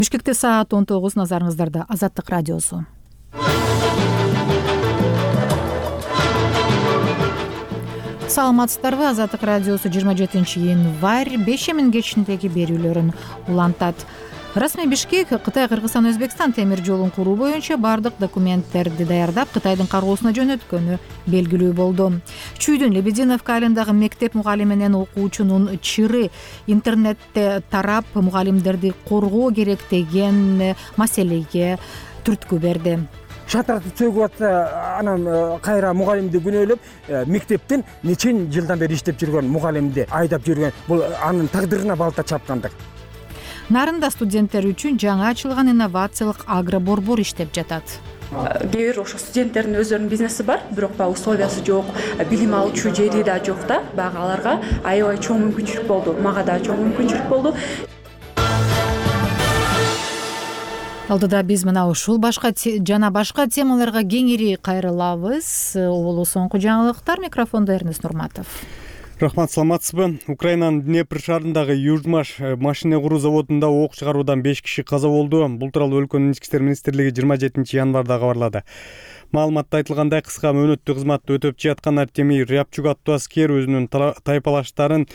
Бишкекте саат 19, назарыңыздарда Азаттык радиосу. Саламатсыздарбы? Азаттык радиосу 27 январь 5 кечиндеги берүүлөрүн улантат. Расмий Бишкек Кытай, Кыргызстан, Өзбекстан темир жолун куруу боюнча бардык документтерди даярдап Кытайдын кароосуна жөнөткөнү белгилүү болду. Чүйдүн Лебединовка айылындагы мектеп мугалими менен окуучунун чыры интернетте тарап, мугалимдерди коргоо керек деген маселеге түрткү берди. Шатырды чөгүп атса, анан кайра мугалимди күнөөлөп, мектептен нече жылдан бери иштеп жүргөн мугалимди айдап жүргөн, бул анын тагдырына балта чапкандык. Нарында студенттер үчүн жаңа ачылган инновациялык агроборбор иштеп жатат. Кээ бир ошо студенттердин өздөрүнүн бизнеси бар, бирок баягы условиясы жок, билим алуучу жери да жок да. Баягы аларга аябай чоң мүмкүнчүлүк болду. Мага да чоң мүмкүнчүлүк болду. Алдыда биз мына ушул башка темаларга кеңири кайрылабыз. Бул соңку жаңылыктар. Микрофондо Эрнест Нурматов. Рахмат, саламатсызбы? Украинанын Днепр шаарындагы Южмаш машина куруу заводунда ок чыгаруудан 5 киши каза болду. Бул тууралуу өлкөнүн ички иштер министрлиги 27 январда кабарлады. Маалыматта айтылгандай, кыска мөөнөттүү кызматты өтөп жаткан Артемий Рябчук аттуу аскер өзүнүн тайпалаштарын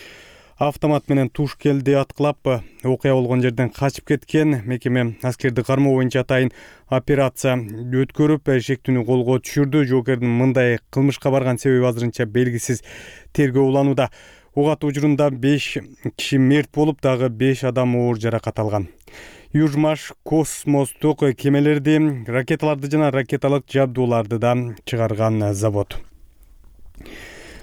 автомат менен туш келди аткылап окуя болгон жерден качып кеткен. Мекеме аскерди кармоо боюнча атайын операция өткөрүп, шектүүнү колго түшүрдү. Жоокердин мындай кылмышка барган себеби азырынча белгисиз, тергөө уланууда. Ок атуу учурунда 5 киши мерт болуп, дагы 5 адам оор жаракат алган. Южмаш космостук кемелерди, ракеталарды жана ракеталык жабдууларды да чыгарган завод.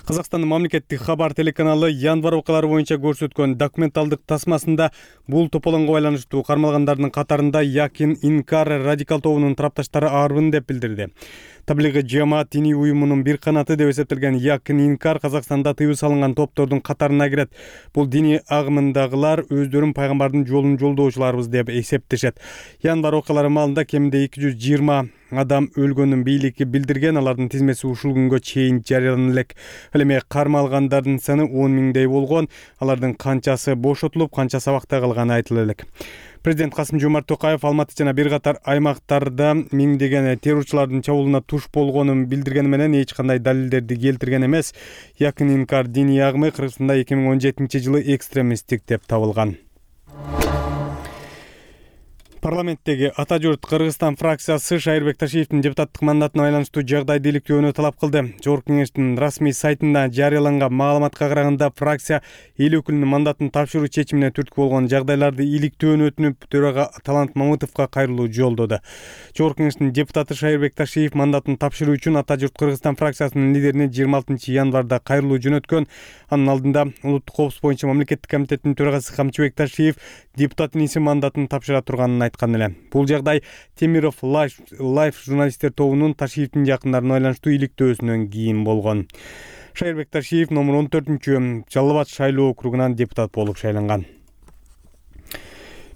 Казакстандын мамлекеттик хабар телеканалы январь окуялары боюнча көрсөткөн документалдык тасмасында бул тополоңго байланыштуу кармалгандардын катарында Якин Инкар радикал тобунун тарапташтары арбын деп билдирди. Таблиги жамаат диний уюмунун бир канаты деп эсептелген Якин Инкар Казакстанда тыюу салынган топтордун катарына кирет. Бул диний агымындагылар өздөрүн пайгамбардын жолун жолдоочуларбыз деп эсептешет. Январь окуялары маалында кеминде 220 адам өлгөнүн бийликти билдирген. Алардын тизмеси ушул күнгө чейин жарыялана элек. Ал эми кармалгандардын саны 10 миңдей болгон. Алардын канчасы бошотулуп, канчасы абакта калганы айтыла элек. Президент Касым-Жомарт Токаев Алматы жана бир катар аймактарда миңдеген террорчулардын чабуулуна туш болгонун билдиргени менен эч кандай далилдерди келтирген эмес. Якин Инкар диний агымы Кыргызстанда 2017-жылы экстремисттик деп табылган. Парламенттеги Ата журт Кыргызстан фракциясы Шайырбек Ташиевдин депутаттык мандатына байланыштуу жагдайды иликтөөнү талап кылды. Жогорку кеңештин расмий сайтында жарыяланган маалыматка караганда, фракция эл өкүлүнүн мандатын тапшыруу чечимине түрткү болгон жагдайларды иликтөөнү өтүнүп, төрага Талант Мамытовго кайрылуу жолдоду. Жогорку кеңештин депутаты Шайырбек Ташиев мандатын тапшыруу үчүн Ата журт Кыргызстан фракциясынын лидерине 26 январда кайрылуу жөнөткөн. Анын алдында улуттук коопсуздук боюнча мамлекеттик комитеттин төрагасы Камчыбек Ташиев депутаттын иси мандатын тапшыра турганын айткан эле. Бул жагдай Темиров Лайф журналисттер тобунун Ташиевдин жакындарына байланыштуу иликтөөсүнөн кийин болгон. Шайырбек Ташиев номер 14 Жалал Абад шайлоо округунан депутат болуп шайланган.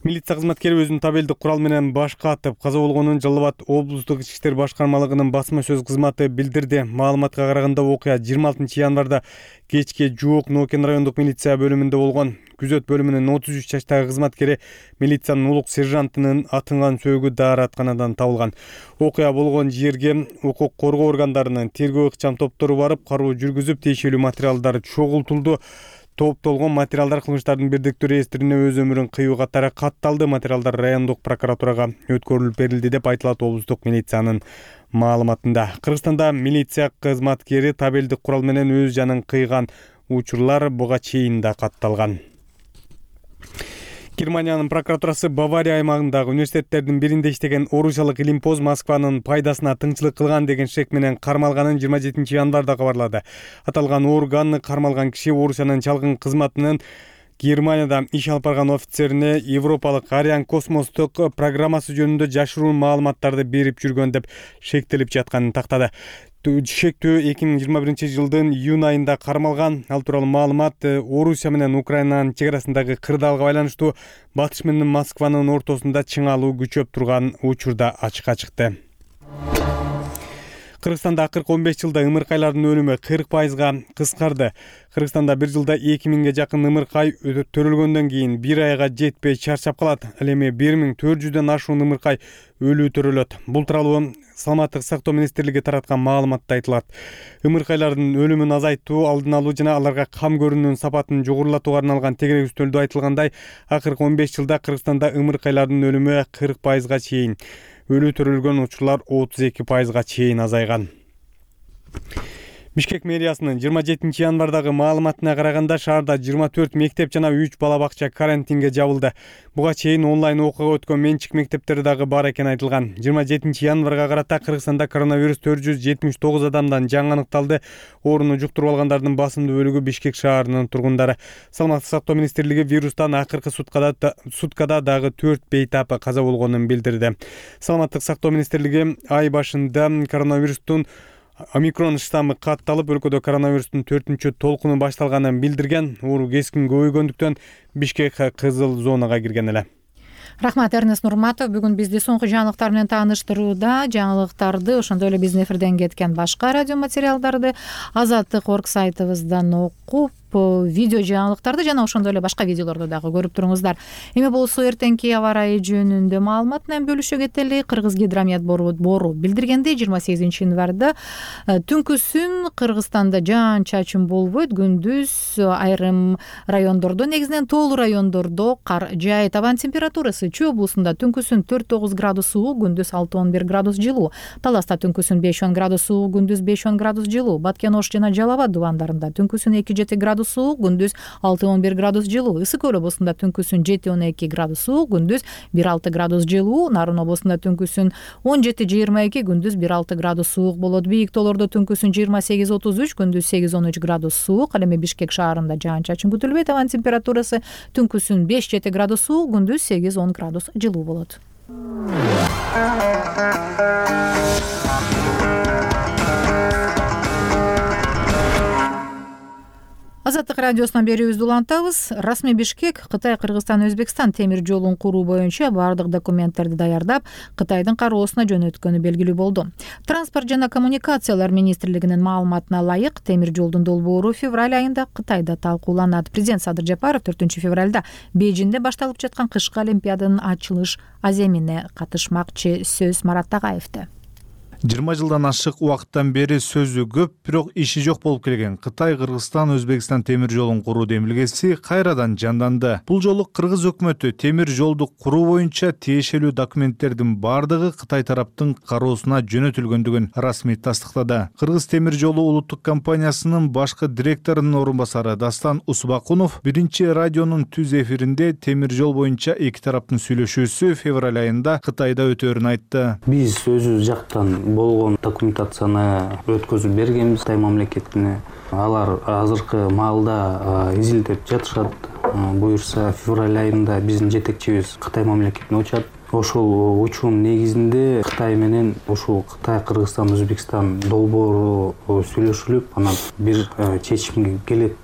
Милиция кызматкери өзүнүн табелдик курал менен башка атып каза болгонун Жалал Абад облустук ички иштер башкармалыгынын басма сөз кызматы билдирди. Маалыматка караганда окуя 26 январда кечке жуук Нокен райондук милиция бөлүмүндө болгон. Күзөт бөлүмүнүн 33 жаштагы кызматкери милициянын улук сержантынын атынган сөөгү дааратканадан табылган. Окуя болгон жерге укук коргоо органдарынын тергөө ыкчам топтору барып, кароо жүргүзүп, тиешелүү материалдар чогултулду. Топтолгон материалдар кылмыштардын бирдиктүү реестрине өз өмүрүн кыюу катары катталды. Материалдар райондук прокуратурага өткөрүлүп берилди деп айтылат облустук милициянын маалыматында. Кыргызстанда милиция кызматкери табелдик курал менен өз жанын кыйган учурлар буга чейин да катталган. Германиянын прокуратурасы Бавария аймагындагы университеттердин биринде иштеген орусиялык илимпоз Москванын пайдасына тыңчылык кылган деген шек менен кармалганын 27 январда кабарлады. Аталган органы кармалган киши Орусиянын чалгын кызматынын Германияда иш алып барган офицерине Европалык Ариан космостук программасы жөнүндө жашыруун маалыматтарды берип жүргөн деп шектелип жатканын тактады. Шектөө 2021-жылдын июнь айында кармалган. Ал тууралуу маалымат Орусия менен Украинанын чек арасындагы кырдаалга байланыштуу Батыш менен Москванын ортосунда чыңалуу күчөп турган учурда ачыкка чыкты. Кыргызстанда акыркы 15 жылда ымыркайлардын өлүмү 40%га кыскарды. Кыргызстанда бир жылда 2000ге жакын ымыркай төрөлгөндөн кийин бир айга жетпей чарчап калат. Ал эми 1400дөн ашуун ымыркай өлүү төрөлөт. Бул тууралуу Саламаттык сактоо министрлиги тараткан маалыматта айтылат. Ымыркайлардын өлүмүн азайтуу, алдын алуу жана аларга кам көрүүнүн сапатын жогорулатууга арналган тегеректөөлдө айтылгандай, акыркы 15 жылда Кыргызстанда ымыркайлардын өлүмү 40%га чейин, өлүү төрөлгөн учурлар 32%га чейин азайган. Бишкек мэриясынын 27 январдагы маалыматына караганда шаарда 24 мектеп жана 3 бала бакча карантинге жабылды. Буга чейин онлайн окууга өткөн менчик мектептер дагы бар экени айтылган. 27 январга карата Кыргызстанда коронавирус 479 адамдан жаңы аныкталды. Ооруну жуктуруп алгандардын басымдуу бөлүгү Бишкек шаарынын тургундары. Саламаттык сактоо министрлиги вирустан акыркы суткада дагы 4 бейтап каза болгонун билдирди. Саламаттык сактоо министрлиги ай башында коронавирустун омикрон штаммы катталып, өлкөдө коронавирустун 4-чү толкуну башталганын билдирген. Оору кескин көбөйгөндүктөн Бишкек кызыл зонага кирген эле. Рахмат, Эрнест Нурматов. Бүгүн бизди соңку жаңылыктар менен тааныштырууда. Жаңылыктарды, ошондой эле биздин эфирден кеткен башка радио материалдарды Азаттык.орг сайтыбыздан окуп, видео жаңылыктарды жана ошондой эле башка видеолорду дагы көрүп туруңуздар. Эми болсо эртеңки аба ырайы жөнүндө маалымат менен бөлүшө кетели. Кыргызгидромет бору билдиргендей, 28 январда түнкүсүн Кыргызстанда жаан чачын болбойт. Күндүз айрым райондордо, негизинен тоолуу райондордо кар жаайт. Абанын температурасы Чүй облусунда түнкүсүн 4-9 градус суук, күндүз 6-11 градус жылуу. Таласта түнкүсүн 5-10 градус суук, күндүз 5-10 градус жылуу. Баткен Ош жана Жалал Абад дубандарында түнкүсүн 2-7 градус суук, күндүз 6-11 градус жылуу. Ысык Көл облусунда түнкүсүн 7-12 градус суук, күндүз 1-6 градус жылуу. Нарын облусунда түнкүсүн 17-22, күндүз 1-6 градус суук болот. Бийик тоолордо түнкүсүн 28-33, күндүз 8-13 градус суук. Ал эми Бишкек шаарында жаан-чачын күтүлбөйт. Абанын температурасы түнкүсүн 5-7 градус суук, күндүз 8-10 градус жылуу болот. Азаттык радиосунан берүүбүздү улантабыз. Расмий Бишкек Кытай, Кыргызстан, Өзбекстан темир жолун куруу боюнча бардык документтерди даярдап, Кытайдын кароосуна жөнөткөнү белгилүү болду. Транспорт жана коммуникациялар министрлигинин маалыматына ылайык, темир жолдун долбоору февраль айында Кытайда талкууланат. Президент Садыр Жапаров 4-февралда Бейжиңде башталып жаткан кышкы олимпиаданын ачылыш аземине катышмакчы. Сөз Марат Тагаевде. 20 жылдан ашык убакыттан бери сөзү көп, бирок иши жок болуп келген Кытай, Кыргызстан, Өзбекстан темир жолун куруу демилгеси кайрадан жанданды. Бул жолу Кыргыз өкмөтү темир жолду куруу боюнча тиешелүү документтердин бардыгы Кытай тараптын кароосуна жөнөтүлгөндүгүн расмий тастыктады. Кыргыз темир жолу улуттук компаниясынын башкы директорунун орун басары Дастан Усбакунов биринчи радионун түз эфиринде темир жол боюнча эки тараптын сүйлөшүүсү февраль айында Кытайда өтөөрүн айтты. Биз өзүбүз жактан болгон документацияны өткөзүп бергенбиз Кытай мамлекетине. Алар азыркы маалда изилдеп жатышат. Буюрса февраль айында биздин жетекчибиз Кытай мамлекетине учат. Ошол учуунун негизинде Кытай менен ушул Кытай, Кыргызстан, Өзбекстан долбоору сүйлөшүлүп, анан бир чечимге келет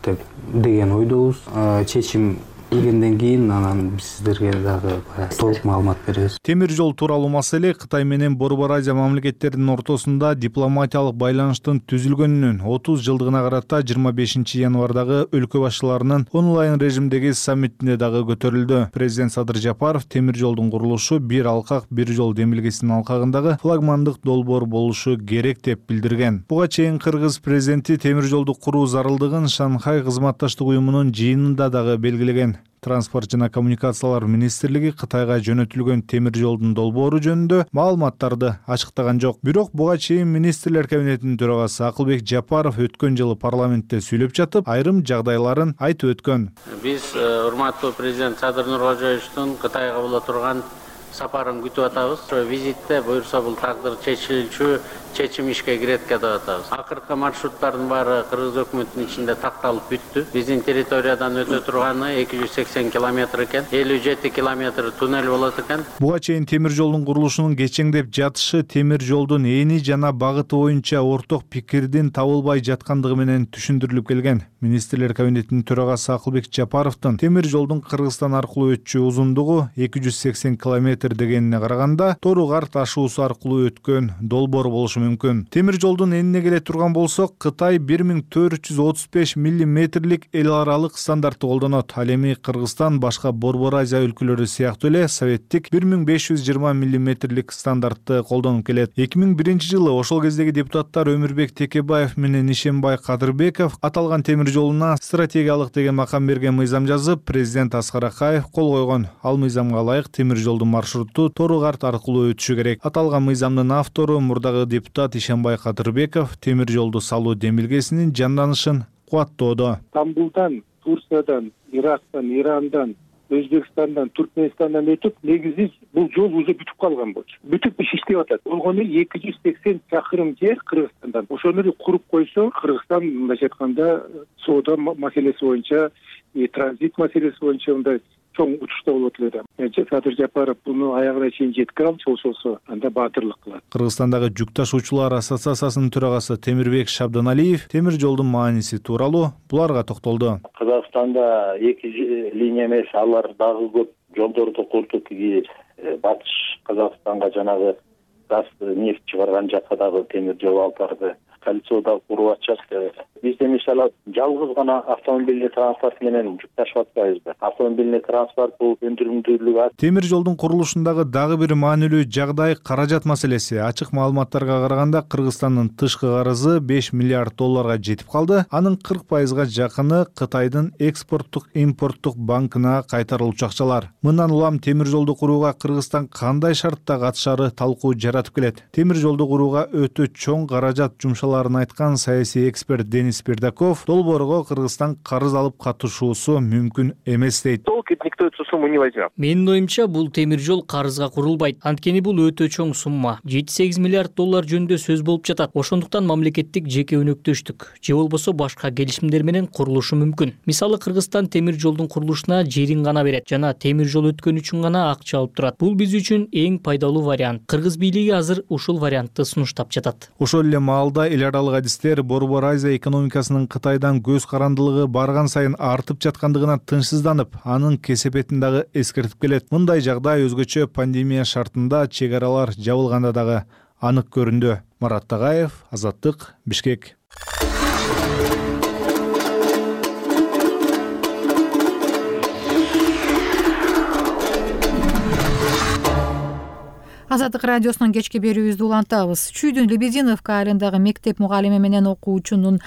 деген ойдобуз. Чечим келгенден кийин анан биз сиздерге дагы толук маалымат беребиз. Темир жол тууралуу маселе Кытай менен Борбор Азия мамлекеттеринин ортосунда дипломатиялык байланыштын түзүлгөнүнүн 30 жылдыгына карата 25 январдагы өлкө башчыларынын онлайн режимдеги саммитинде дагы көтөрүлдү. Президент Садыр Жапаров темир жолдун курулушу бир алкак, бир жол демилгесинин алкагындагы флагмандык долбоор болушу керек деп билдирген. Буга чейин Кыргыз президенти темир жолду куруу зарылдыгын Шанхай кызматташтык уюмунун жыйынында дагы белгилеген. Транспорт жана коммуникациялар министрлиги Кытайга жөнөтүлгөн темир жолдун долбоору жөнүндө маалыматтарды ачыктаган жок. Бирок буга чейин министрлер кабинетинин төрагасы Акылбек Жапаров өткөн жылы парламентте сүйлөп жатып, айрым жагдайларын айтып өткөн. Биз урматтуу президент Садыр Нуркожоевичтин Кытайга боло турган сапарын күтүп атабыз. Ошо визитте буюрса бул тагдыр чечилүүчү чечим ишке кирет деп атабыз. Акыркы маршруттардын баары Кыргыз өкмөтүнүн ичинде такталып бүттү. Биздин территориядан өтө турганы 280 километр экен. 57 километр туннель болот экен. Буга чейин темир жолдун курулушунун кечеңдеп жатышы темир жолдун эни жана багыты боюнча орток пикирдин табылбай жаткандыгы менен түшүндүрүлүп келген. Министрлер кабинетинин төрагасы Акылбек Жапаровдун темир жолдун Кыргызстан аркылуу өтчү узундугу 280 километр дегенине караганда Тору Кар ташуусу аркылуу өткөн долбоор болушу мүмкүн. Темир жолдун энине келе турган болсок, Кытай 1435 миллиметрлик эл аралык стандартты колдонот. Ал эми Кыргызстан башка Борбор Азия өлкөлөрү сыяктуу эле советтик 1520 миллиметрлик стандартты колдонуп келет. 2001-жылы ошол кездеги депутаттар Өмүрбек Текебаев менен Ишенбай Кадырбеков аталган темир жолуна стратегиялык деген макам берген мыйзам жазып, президент Аскар Акаев кол койгон. Ал мыйзамга ылайык темир жолдун маршруту Тору Кар аркылуу өтүшү керек. Аталган мыйзамдын автору мурдагы депутат Ишенбай Кадырбеков темир жолду салуу демилгесинин жанданышын кубаттоодо. Стамбулдан, Турциядан, Ирактан, Ирандан, Өзбекстандан, Түркменистандан өтүп, негизи бул жол уже бүтүп калган болчу. Бүтүп иштеп атат. Болгону 280 чакырым жер Кыргызстандан. Ошону куруп койсо, Кыргызстан мындайча айтканда соода маселеси боюнча, транзит маселеси боюнча мындай чоң учушта болот эле. Садыр Жапаров буну аягына чейин жеткире алчу болсо, анда баатырлык кылат. Кыргызстандагы жүк ташуучулар ассоциациясынын төрагасы Темирбек Шабданалиев темир жолдун мааниси тууралуу буларга токтолду. Кыргызстанда 2 линия эмес, алар дагы көп жолдорду курдук. Батыш Казакстанга жанагы газ, нефть чыгарган жакка дагы темир жол алып барды. Кольцодо куруп атышат. Бизде мисалы жалгыз гана автомобильный транспорт менен жүк ташып атпайбызбы? Автомобильный транспорт бул өндүрүмдүүлүгү. Темир жолдун курулушундагы дагы бир маанилүү жагдай каражат маселеси. Ачык маалыматтарга караганда Кыргызстандын тышкы карызы 5 миллиард долларга жетип калды. Анын 40%га жакыны Кытайдын экспорттук импорттук банкына кайтарылчу акчалар. Мындан улам темир жолду курууга Кыргызстан кандай шартта катышары талкуу жаратып келет. Темир жолду курууга өтө чоң каражат жумшаларын айткан саясий эксперт Денис Пердаков долбоорго Кыргызстан карыз алып катышуусу мүмкүн эмес дейт. Никто эту сумму не возьмет. Менин оюмча, бул темир жол карызга курулбайт. Анткени бул өтө чоң сумма. 7-8 миллиард доллар жөнүндө сөз болуп жатат. Ошондуктан мамлекеттик жеке өнөктөштүк же болбосо башка келишимдер менен курулушу мүмкүн. Мисалы Кыргызстан темир жолдун курулушуна жерин гана берет жана темир жол өткөн үчүн гана акча алып турат. Бул биз үчүн эң пайдалуу вариант. Кыргыз бийлиги азыр ушул вариантты сунуштап жатат. Ошол эле маалда эл аралык адистер Борбор Азия экономикасынын Кытайдан көз карандылыгы барган сайын артып жаткандыгына тынчсызданып, анын кесепетин дагы эскертип келет. Мындай жагдай өзгөчө пандемия шартында чек аралар жабылганда дагы анык көрүндү. Марат Тагаев, Азаттык, Бишкек. Азаттык радиосунун кечки берүүбүздү улантабыз. Чүйдүн Лебединовка айылындагы мектеп мугалими менен окуучунун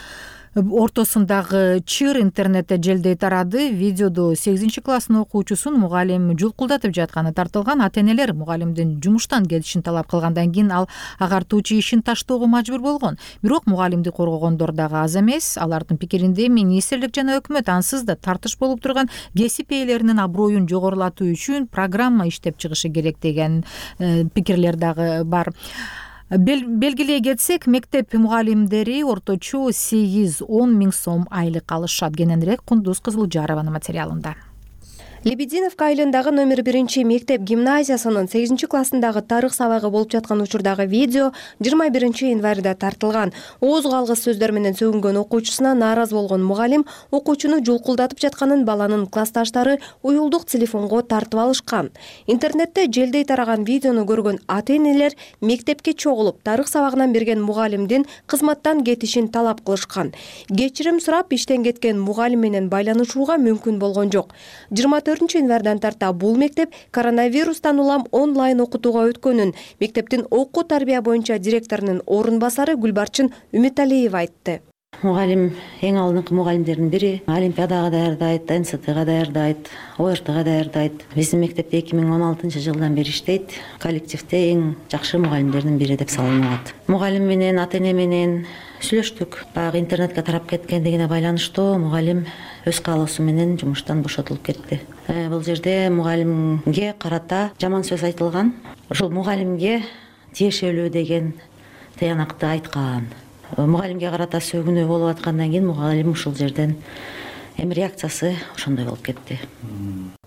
ортосундагы чыр интернетте желдей тарады. Видеодо 8-класстын окуучусун мугалим жулкулдатып жатканы тартылган. Ата-энелер мугалимдин жумуштан кетишин талап кылгандан кийин ал агартуучу ишин таштоого мажбур болгон. Бирок мугалимди коргогондор дагы аз эмес. Алардын пикиринде министрлик жана өкмөт ансыз да тартыш болуп турган кесип ээлеринин аброюн жогорулатуу үчүн программа иштеп чыгышы керек деген пикирлер дагы бар. Белгилей кетсек, мектеп мугалимдери орточо 8-10 миң сом айлык алышат. Кененирээк Кундуз Кызылжарованын материалында. Лебединовка айылындагы номер 1 мектеп гимназиясынын 8-классындагы тарых сабагы болуп жаткан учурдагы видео 21 январда тартылган. Ооз калгыс сөздөр менен сөгүнгөн окуучусуна нааразы болгон мугалим окуучуну жулкулдатып жатканын баланын классташтары уюлдук телефонго тартып алышкан. Интернетте желдей тараган видеону көргөн ата-энелер мектепке чогулуп, тарых сабагынан берген мугалимдин кызматтан кетишин талап кылышкан. Кечирим сурап, иштен кеткен мугалим менен байланышууга мүмкүн болгон жок. 24 январдан тарта бул мектеп коронавирустан улам онлайн окутууга өткөнүн мектептин окуу тарбия боюнча директорунун орун басары Гүлбарчын Үмүталиева айтты. Мугалим эң алдыңкы мугалимдердин бири. Олимпиадага даярдайт, НЦТга даярдайт, ОРТга даярдайт. Биздин мектепте 2016-жылдан бери иштейт. Коллективде эң жакшы мугалимдердин бири деп саналат. Мугалим менен, ата-эне менен сүйлөштүк. Баягы интернетке тарап кеткендигине байланыштуу мугалим өз каалоосу менен жумуштан бошотулуп кетти. Бул жерде мугалимге карата жаман сөз айтылган. Ошол мугалимге тиешелүү деген тыянакты айткан. Мугалимге карата сөгүнүү болуп аткандан кийин мугалим ушул жерден эми реакциясы ошондой болуп кетти.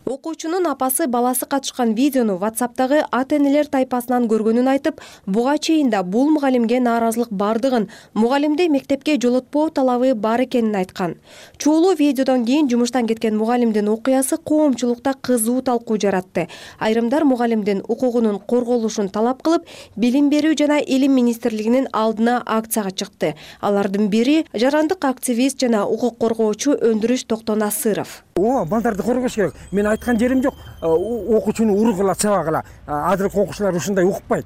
Окуучунун апасы баласы катышкан видеону WhatsApp'тагы ата-энелер тайпасынан көргөнүн айтып, буга чейин да бул мугалимге нааразылык бардыгын, мугалимди мектепке жолотпоо талабы бар экенин айткан. Чуулуу видеодон кийин жумуштан кеткен мугалимдин окуясы коомчулукта кызуу талкуу жаратты. Айрымдар мугалимдин укугунун корголушун талап кылып, Билим берүү жана Илим министрлигинин алдына акцияга чыкты. Алардын бири жарандык активист жана укук коргоочу Өндүрүш Токтонасыров. Балдарды коргош керек. Мен айткан жерим жок. Окуучуну уругула, чабагыла. Азыркы окуучулар ушундай укпайт.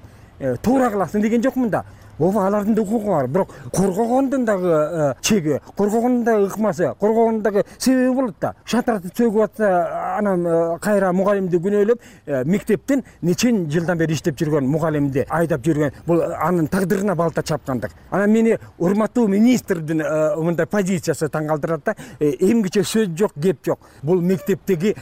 Туура кыласың деген жокмун да. Алардын да укугу бар. Бирок коргогондун дагы чеги, коргогондун дагы ыкмасы, коргогондун дагы себеби болот да. Шатыраты сөгүп атса, анан кайра мугалимди күнөөлөп, мектептин нечен жылдан бери иштеп жүргөн мугалимди айдап жүргөн, бул анын тагдырына балта чапкандык. Анан мени урматтуу министрдин мындай позициясы таң калтырат да. Эмгиче сөз жок, кеп жок. Бул мектептеги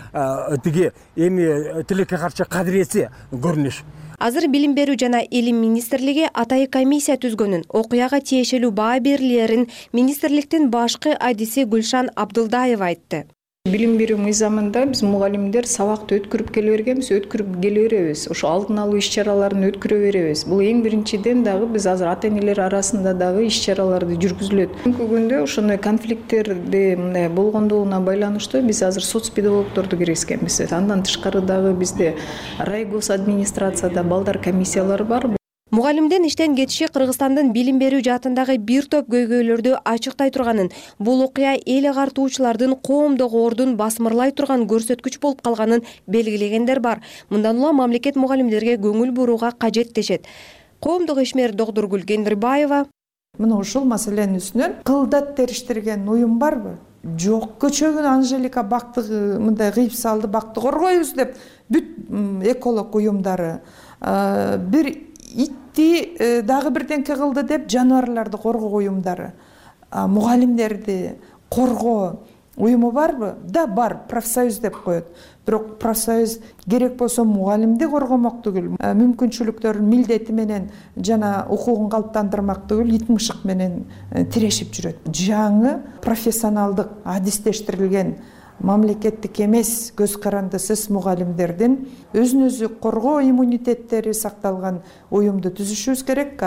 тиги эми тилекке каршы кадиреси көрүнүш. Азыр Билим берүү жана Илим министрлиги атайын комиссия түзгөнүн, окуяга тиешелүү баа берилерин министрликтин башкы адиси Гүлшан Абдылдаева айтты. Билим берүү мыйзамында биз мугалимдер сабакты өткөрүп келе бергенбиз, өткөрүп келе беребиз. Ошо алдын алуу иш-чараларын өткөрө беребиз. Бул эң биринчиден дагы биз азыр ата-энелер арасында дагы иш-чараларды жүргүзүлөт. Бүгүнкү күндө ошондой конфликттерди мындай болгондугуна байланыштуу биз азыр соцпедагогдорду киргизгенбиз. Андан тышкары дагы бизде райгос администрацияда балдар комиссиялары бар. Мугалимдин иштен кетиши Кыргызстандын билим берүү жаатындагы бир топ көйгөйлөрдү ачыктай турганын, бул окуя эл агартуучулардын коомдогу ордун басмырлай турган көрсөткүч болуп калганын белгилегендер бар. Мындан улам мамлекет мугалимдерге көңүл бурууга кажет дешет. Коомдук ишмер Догдургүл Кендирбаева: Мына ушул маселенин үстүнөн кылдат териштирген уюм барбы? Жок. Көчөгүн Анжелика бактыгы мындай кыйып салды, бакты коргойбуз деп бүт эколог уюмдары, бир итти дагы бирденке кылды деп жаныбарларды коргоо уюмдары, мугалимдерди коргоо уюму барбы? Да, бар, профсоюз деп коет. Бирок профсоюз керек болсо мугалимди коргомок түгүл, мүмкүнчүлүктөрүн милдети менен жана укугун калыптандырмак түгүл, ит мышык менен тирешип жүрөт. Жаңы профессионалдык адистештирилген мамлекеттик эмес көз карандысыз мугалимдердин өзүн өзү коргоо иммунитеттери сакталган уюмду түзүшүбүз керек,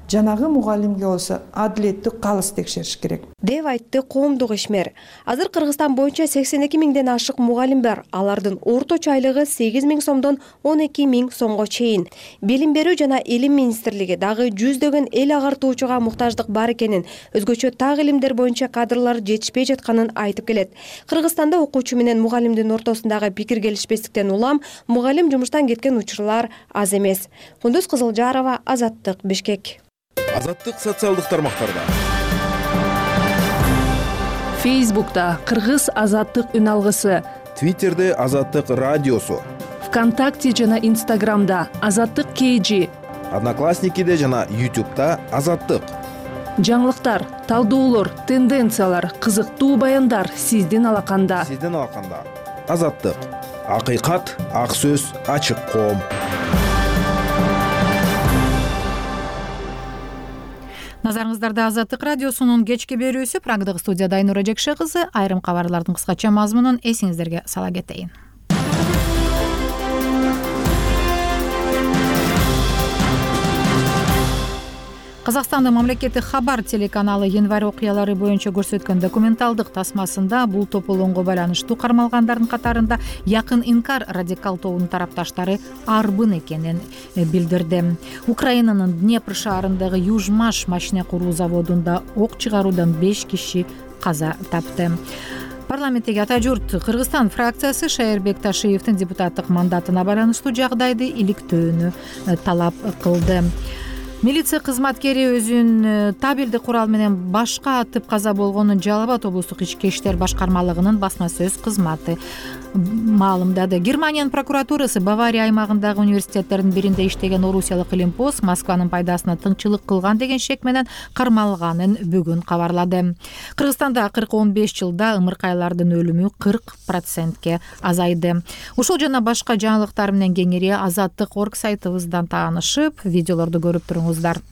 жанагы мугалимге болсо адилеттүү калыс текшериш керек деп айтты коомдук ишмер. Азыр Кыргызстан боюнча 82 миңден ашык мугалим бар. Алардын орточо айлыгы 8 миң сомдон 12 миң сомго чейин. Билим берүү жана Илим министрлиги дагы жүздөгөн эл агартуучуга муктаждык бар экенин, өзгөчө так илимдер боюнча кадрлар жетишпей жатканын айтып келет. Кыргызстанда окуучу менен мугалимдин ортосундагы пикир келишпестиктен улам мугалим жумуштан кеткен учурлар аз эмес. Кундуз Кызылжарова, Азаттык, Бишкек. Азаттык социалдык тармактарда. Фейсбукта Кыргыз Азаттык үн алгысы, Твиттерде Азаттык радиосу, ВКонтакте жана Инстаграмда Азаттык KG, Одноклассникиде жана YouTube'да Азаттык. Жаңылыктар, талдоолор, тенденциялар, кызыктуу баяндар сиздин алаканда. Азаттык. Акыйкат, ак сөз, ачык коом. Назарыңыздарда Азаттык радиосунун кечки берүүсү. Прагдагы студияда Айнура Жекше кызы. Айрым кабарлардын кыскача мазмунун эсиңиздерге сала кетейин. Казакстандын мамлекеттик хабар телеканалы январь окуялары боюнча көрсөткөн документалдык тасмасында бул тополоңго байланыштуу кармалгандардын катарында Якын Инкар радикал тобунун тарапташтары арбын экенин билдирди. Украинанын Днепр шаарындагы Южмаш машина куруу заводунда ок чыгаруудан 5 киши каза тапты. Парламенттеги Ата журт Кыргызстан фракциясы Шайырбек Ташиевдин депутаттык мандатына байланыштуу жагдайды иликтөөнү талап кылды. Милиция кызматкери өзүн табелдик курал менен башка атып каза болгонун Жалал Абад облустук ички иштер башкармалыгынын басма сөз кызматы маалымдады. Германиянын прокуратурасы Бавария аймагындагы университеттердин биринде иштеген орусиялык илимпоз Москванын пайдасына тыңчылык кылган деген шек менен кармалганын бүгүн кабарлады. Кыргызстанда 15 жылда ымыркайлардын өлүмү 40%ке азайды. Ушул жана башка жаңылыктар менен кеңири Азаттык.орг сайтыбыздан таанышып, видеолорду көрүп туруңуздар.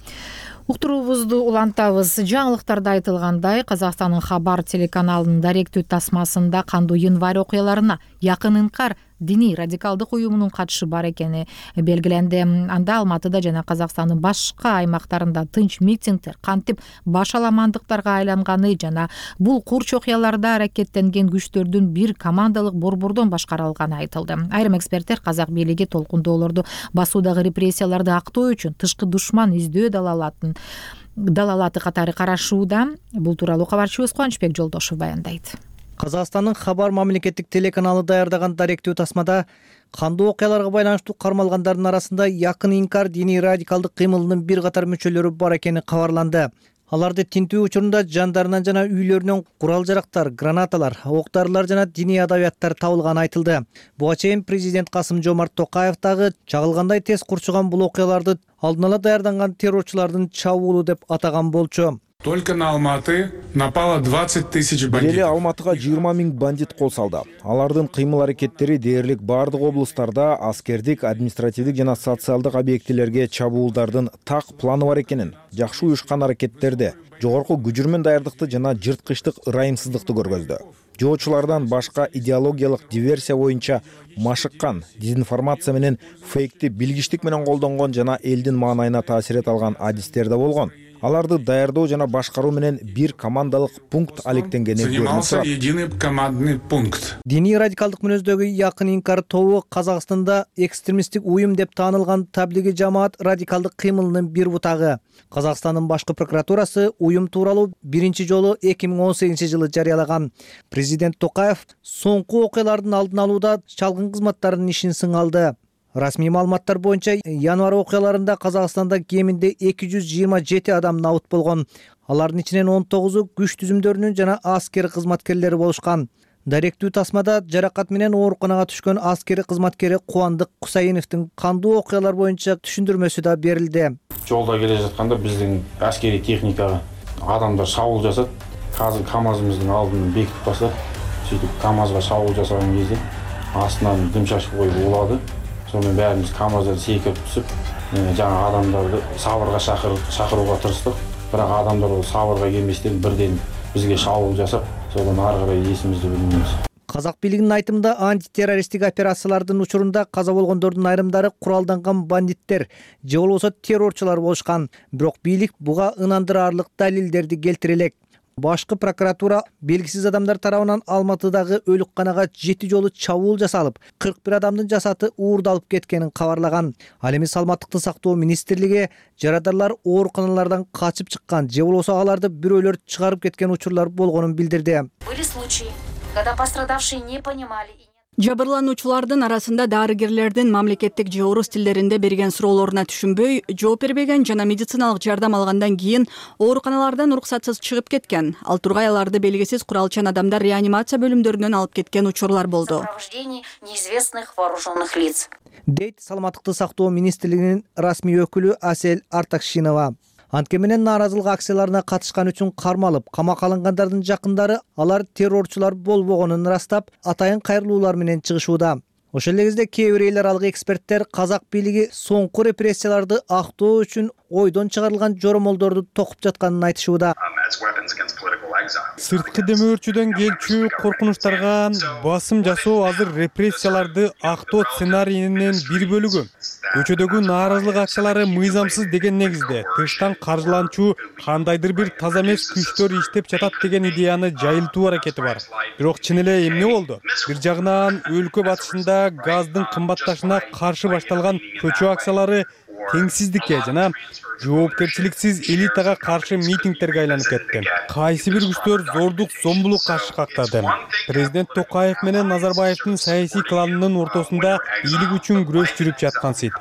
Уктуруубузду улантабыз. Жаңылыктарда айтылгандай, Казакстандын хабар телеканалынын даректүү тасмасында кандуу январь окуяларына Якын Инкар диний радикалдык уюмунун катышы бар экени белгиленди. Анда Алматыда жана Казакстандын башка аймактарында тынч митингдер кантип башаламандыктарга айланганы жана бул курч окуяларда аракеттенген күчтөрдүн бир командалык борбордон башкарылганы айтылды. Айрым эксперттер казак бийлиги толкундоолорду басуудагы репрессияларды актоо үчүн тышкы душман издөө далалаты катары карашууда. Бул тууралуу кабарчыбыз Кубанычбек Жолдошев баяндайт. Казакстандын Хабар мамлекеттик телеканалы даярдаган даректүү тасмада кандуу окуяларга байланыштуу кармалгандардын арасында Якын Инкар диний радикалдык кыймылынын бир катар мүчөлөрү бар экени кабарланды. Аларды тинтүү учурунда жандарынан жана үйлөрүнөн курал-жарактар, гранаталар, ок-дарылар жана диний адабияттар табылганы айтылды. Буга чейин президент Касым-Жомарт Токаев дагы чагылгандай тез курчуган бул окуяларды алдын ала даярданган террорчулардын чабуулу деп атаган болчу. Только на Алматы напало 20 тысяч бандитов. Эле Алматыга 20 000 бандит кол салды. Алардын кыймыл-аракеттери дээрлик бардык облустарда аскердик, административдик жана социалдык объектилерге чабуулдардын так планы бар экенин, жакшы уюшкан аракеттерди, жогорку күжүрмөн даярдыкты жана жырткычтык ырайымсыздыкты көргөздү. Жоочулардан башка идеологиялык диверсия боюнча машыккан, дезинформация менен фейкти билгичтик менен колдонгон жана элдин маанайына таасир эте алган адистер да болгон. Аларды даярдоо жана башкаруу менен бир командалык пункт алектенгени занимался единый командный пункт. Диний радикалдык мүнөздөгү Якын Инкар тобу Казакстанда экстремисттик уюм деп таанылган таблиги жамаат радикалдык кыймылынын бир бутагы. Казакстандын башкы прокуратурасы уюм тууралуу биринчи жолу 2018-жылы жарыялаган. Президент Токаев соңку окуялардын алдын алууда чалгын кызматтарынын ишин сыңалды. Расмий маалыматтар боюнча январь окуяларында Казакстанда кеминде 227 адам набыт болгон. Алардын ичинен 19-у күч түзүмдөрүнүн жана аскер кызматкерлери болушкан. Даректүү тасмада жаракат менен ооруканага түшкөн аскери кызматкери Кубандык Кусайыновдун кандуу окуялар боюнча түшүндүрмөсү да берилди. Жолда келе жатканда биздин аскери техникага адамдар шабуул жасат. Азыр КАМАЗыбыздын алдын бекитип басат. Сөйтүп КАМАЗга шабуул жасаган кезде астынан дым шашып коюп улады. Сонун баарыбыз КАМАЗдан секирип түсүп, жаңа адамдарды сабырга чакырууга тырыштык. Бирок адамдар ол сабырга келместен бирден бизге шабуул жасап, содан ары карай эсибизди билбейбиз. Казак бийлигинин айтымында антитеррористтик операциялардын учурунда каза болгондордун айрымдары куралданган бандиттер же болбосо террорчулар болушкан. Бирок бийлик буга ынандырарлык далилдерди келтире элек. Башкы прокуратура белгисиз адамдар тарабынан Алматыдагы өлүкканага 7 жолу чабуул жасалып, 41 адамдын жасаты уурдалып кеткенин кабарлаган. Ал эми Саламаттыкты сактоо министрлиги жарадарлар ооруканалардан качып чыккан же болбосо аларды бирөөлөр чыгарып кеткен учурлар болгонун билдирди. Были случаи, когда пострадавшие не понимали. Жабырлануучулардын арасында дарыгерлердин мамлекеттик же орус тилдеринде берген суроолоруна түшүнбөй, жооп бербеген жана медициналык жардам алгандан кийин ооруканалардан уруксатсыз чыгып кеткен. Ал тургай аларды белгисиз куралчан адамдар реанимация бөлүмдөрүнөн алып кеткен учурлар болду. Сопровождение неизвестных вооруженных лиц. Дейт Саламаттыкты сактоо министрлигинин расмий өкүлү Асель Артакшинова. Антке менен нааразылык акцияларына катышкан үчүн кармалып, камакка алынгандардын жакындары алар террорчулар болбогонун ырастап, атайын кайрылуулар менен чыгышууда. Ошол эле кезде кээ бир эл аралык эксперттер казак бийлиги соңку репрессияларды актоо үчүн ойдон чыгарылган жоромолдорду токуп жатканын айтышууда. Сырткы демөөрчүдөн келчү коркунучтарга басым жасоо азыр репрессияларды актоо сценарийинин бир бөлүгү. Көчөдөгү нааразылык акциялары мыйзамсыз деген негизде тыштан каржыланчу кандайдыр бир таза эмес күчтөр иштеп жатат деген идеяны жайылтуу аракети бар. Бирок чын эле эмне болду? Бир жагынан өлкө батышында газдын кымбатташына каршы башталган көчө акциялары теңсиздикке жана жоопкерчиликсиз элитага каршы митингтерге айланып кетти. Кайсы бир күчтөр зордук, зомбулук каршы кактады. Президент Токаев менен Назарбаевдин саясий кланынын ортосунда бийлик үчүн күрөш жүрүп жаткансыйт.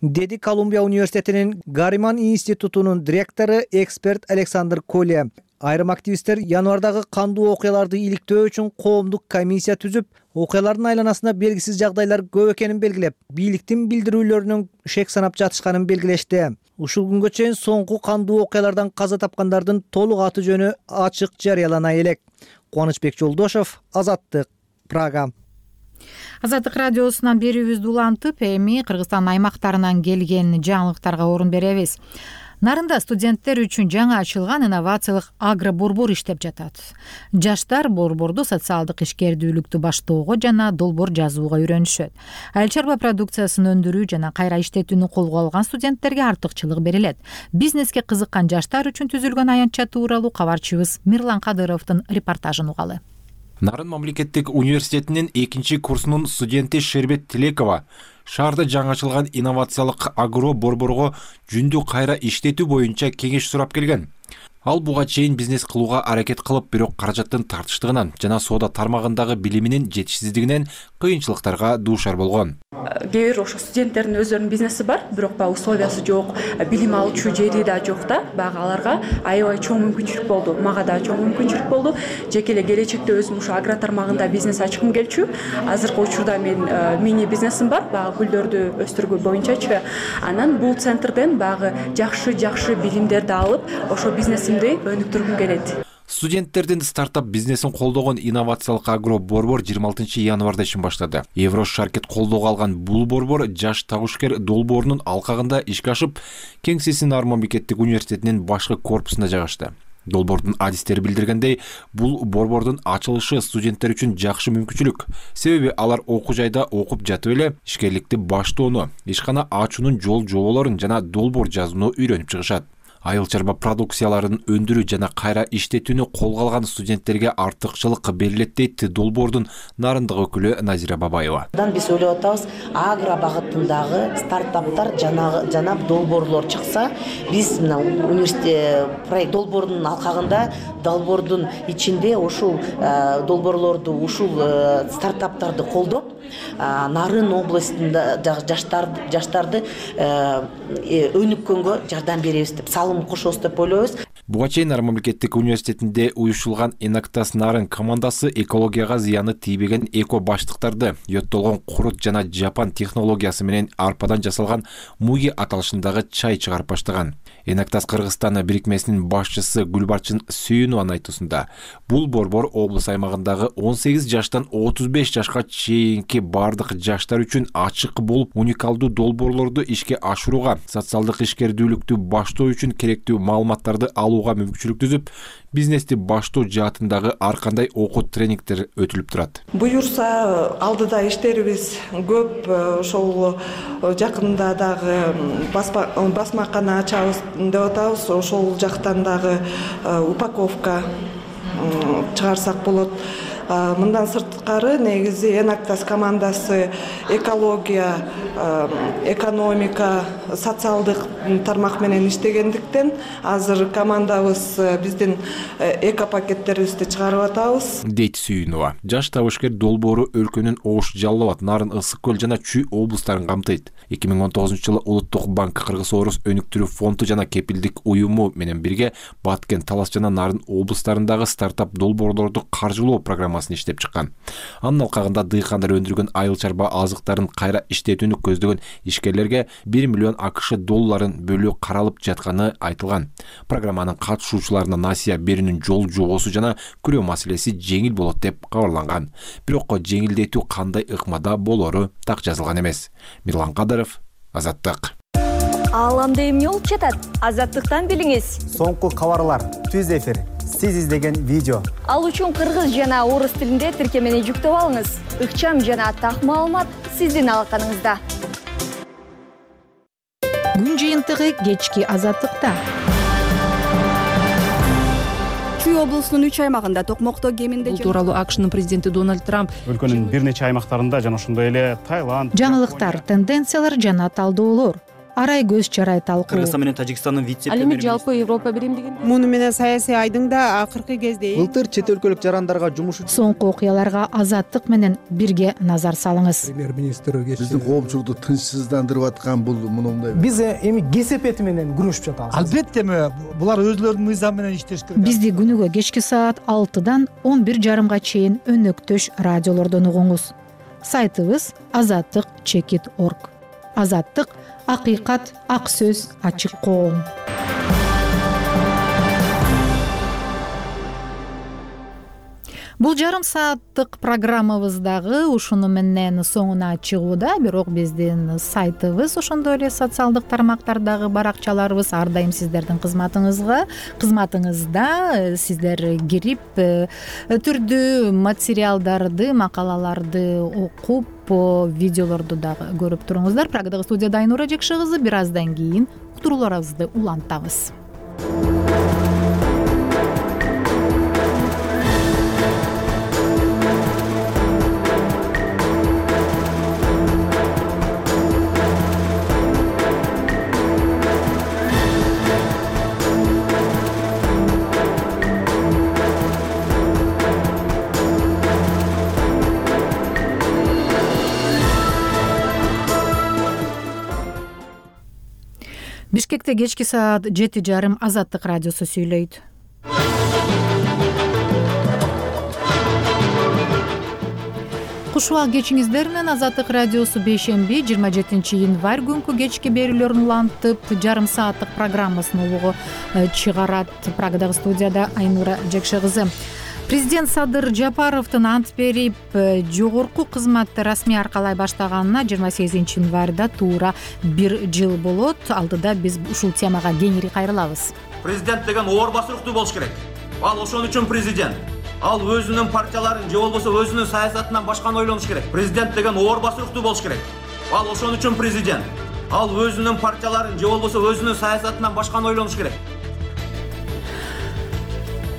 Деди Колумбия университетинин Гарриман институтунун директору эксперт Александр Коле. Айрым активисттер январдагы кандуу окуяларды иликтөө үчүн коомдук комиссия түзүп, окуялардын айланасында белгисиз жагдайлар көп экенин белгилеп, бийликтин билдирүүлөрүнүн шек санап жатышканын белгилешти. Ушул күнгө чейин соңку кандуу окуялардан каза тапкандардын толук аты жөнү ачык жарыялана элек. Кубанычбек Жолдошев, Азаттык, Прага. Азаттык радиосунан берүүбүздү улантып, эми Кыргызстан аймактарынан келген жаңылыктарга орун беребиз. Нарында студенттер үчүн жаңы ачылган инновациялык агроборбор иштеп жатат. Жаштар борборду социалдык ишкердүүлүктү баштоого жана долбоор жазууга үйрөнүшөт. Айыл чарба продукциясын өндүрүү жана кайра иштетүүнү колго алган студенттерге артыкчылык берилет. Бизнеске кызыккан жаштар үчүн түзүлгөн аянтча тууралуу кабарчыбыз Мирлан Кадыровдун репортажын угалы. Нарын мамлекеттик университетинин 2-курсунун студенти Шербет Тилекова шаарда жаңы ачылган инновациялык агро борборго жүндү кайра иштетүү боюнча кеңеш сурап келген. Ал буга чейин бизнес кылууга аракет кылып, бирок каражаттын тартыштыгынан жана соода тармагындагы билиминин жетишсиздигинен кыйынчылыктарга дуушар болгон. Кээ бир ошо студенттердин өздөрүнүн бизнеси бар, бирок баягы условиясы жок, билим алуучу жери да жок да. Баягы аларга аябай чоң мүмкүнчүлүк болду. Мага да чоң мүмкүнчүлүк болду. Жеке эле келечекте өзүм ушу агро тармагында бизнес ачкым келчү. Азыркы учурда мен мини бизнесим бар, баягы гүлдөрдү өстүргүү боюнчачы. Анан бул центрден баягы жакшы билимдерди алып, ошо бизнесимди өнүктүргүм келет. Студенттердин стартап бизнесин колдогон инновациялык агро борбор 26 январда ишин баштады. Еврошаркет колдоого алган бул борбор жаш табышкер долбоорунун алкагында ишке ашып, Кеңсесин Нарын мамлекеттик университетинин башкы корпусунда жайгашты. Долбоордун адистери билдиргендей, бул борбордун ачылышы студенттер үчүн жакшы мүмкүнчүлүк. Себеби алар окуу жайда окуп жатып эле ишкерликти баштоону, ишкана ачуунун жол жоболорун жана долбоор жазууну үйрөнүп чыгышат. Айыл чарба продукцияларын өндүрүү жана кайра иштетүүнү колго алган студенттерге артыкчылык берилет дейт долбоордун нарындык өкүлү Назира Бабаева. Биз ойлоп атабыз, агро багытындагы стартаптар жана долбоорлор чыкса, биз мына университет проект долбоордун алкагында, долбоордун ичинде ушул долбоорлорду, ушул стартаптарды колдоп, Нарын областында жаштарды өнүккөнгө жардам беребиз деп, салым кошобуз деп ойлойбуз. Буга чейин Нарын мамлекеттик университетинде уюштурулган Enactus Нарын командасы экологияга зыяны тийбеген эко баштыктарды, йоттолгон курут жана жапан технологиясы менен арпадан жасалган муги аталышындагы чай чыгарып баштаган. Enactus Кыргызстан бирикмесинин башчысы Гүлбарчын Сүйүнованын айтуусунда, бул борбор облус аймагындагы 18 жаштан 35 жашка чейинки бардык жаштар үчүн ачык болуп, уникалдуу долбоорлорду ишке ашырууга, социалдык ишкердүүлүктү баштоо үчүн керектүү маалыматтарды алууга мүмкүнчүлүк түзүп, бизнести баштоо жаатындагы ар кандай окуу тренингдер өтүлүп турат. Буюрса, алдыда иштерибиз көп, ошол жакында дагы басмакана ачабыз деп атабыз, ошол жактан дагы упаковка чыгарсак болот. Мындан сырткары негизи Enactus командасы экология, экономика, социалдык тармак менен иштегендиктен азыр командабыз биздин эко пакеттерибизди чыгарып атабыз. Дейт Сүйүнова. Жаш табышкер долбоору өлкөнүн Ош, Жалал Абад, Нарын, Ысык көл жана Чүй облустарын камтыйт. 2019-жылы Улуттук банк Кыргыз-Орус өнүктүрүү фонду жана кепилдик уюму менен бирге Баткен, Талас жана Нарын облустарындагы стартап долбоорлорду каржылоо программасын иштеп чыккан. Анын алкагында дыйкандар өндүргөн айыл чарба азыктарын кайра иштетүүнү көздөгөн ишкерлерге 1 миллион АКШ долларын бөлүү каралып жатканы айтылган. Программанын катышуучуларына насыя берүүнүн жол жобосу жана күрөө маселеси жеңил болот деп кабарланган. Бирок жеңилдетүү кандай ыкмада болору так жазылган эмес. Мирлан Кадыров, Азаттык. Ааламда эмне болуп жатат? Азаттыктан билиңиз. Соңку кабарлар, түз эфир, сиз издеген видео. Ал үчүн кыргыз жана орус тилинде тиркемени жүктөп алыңыз. Ыкчам жана так маалымат сиздин алаканыңызда. Күн жыйынтыгы кечки Азаттыкта. Чүй облусунун 3 аймагында токмокто кеминде бул тууралуу АКШнын президенти Дональд Трамп өлкөнүн бир нече аймактарында жана ошондой эле Таиланд, жаңылыктар, тенденциялар жана талдоолор. Арай көз чарай талкуу. Кыргызстан менен Тажикстандын Ал жалпы Европа биримдигинде. Муну менен саясий айдың да акыркы кезде былтыр чет өлкөлүк жарандарга жумуш соңку окуяларга Азаттык менен бирге назар салыңыз. Биздин коомчулукту тынчсыздандырып аткан бул мындай. Биз эми кесепети менен күрөшүп жатабыз. Албетте булар өзлөрүнүн мыйзамы менен иштеш керек. Бизди күнүгө кечки саат 6-дан 11:30 чейин өнөктөш радиолордон угуңуз. Сайтыбыз azattik.org. Азаттык — акыйкат, ак сөз, ачык коом. Бул жарым сааттык программабыздагы ушуну менен соңуна чыгууда, бирок биздин сайтыбыз, ошондой эле социалдык тармактардагы баракчаларыбыз ар дайым сиздердин кызматыңызда. Сиздер кирип түрдүү материалдарды, макалаларды окуп, видеолорду дагы көрүп туруңуздар. Прагадагы студияда Айнура Жекши кызы. Бир аздан кийин уктурууларыбызды улантабыз. Бишкекте кечки саат 7:30 Азаттык радиосу сүйлөйт. Кушубак кечиңиздер менен Азаттык радиосу бейшемби 27 январь күнкү кечки берүүлөрүн улантып, жарым сааттык программасын улугу чыгарат. Прагадагы студияда Айнура Жекши кызы. Президент Садыр Жапаровдун ант берип, жогорку кызматты расмий аркалай баштаганына 28 январда туура 1 жыл болот. Алдыда биз ушул темага кеңири кайрылабыз. Президент деген оор басыруктуу болуш керек. Ал ошон үчүн президент. Ал өзүнүн партияларын же болбосо өзүнүн саясатынан башканы ойлонуш керек. Президент деген оор басыруктуу болуш керек. Ал ошон үчүн президент. Ал өзүнүн партияларын же болбосо өзүнүн саясатынан башканы ойлонуш керек.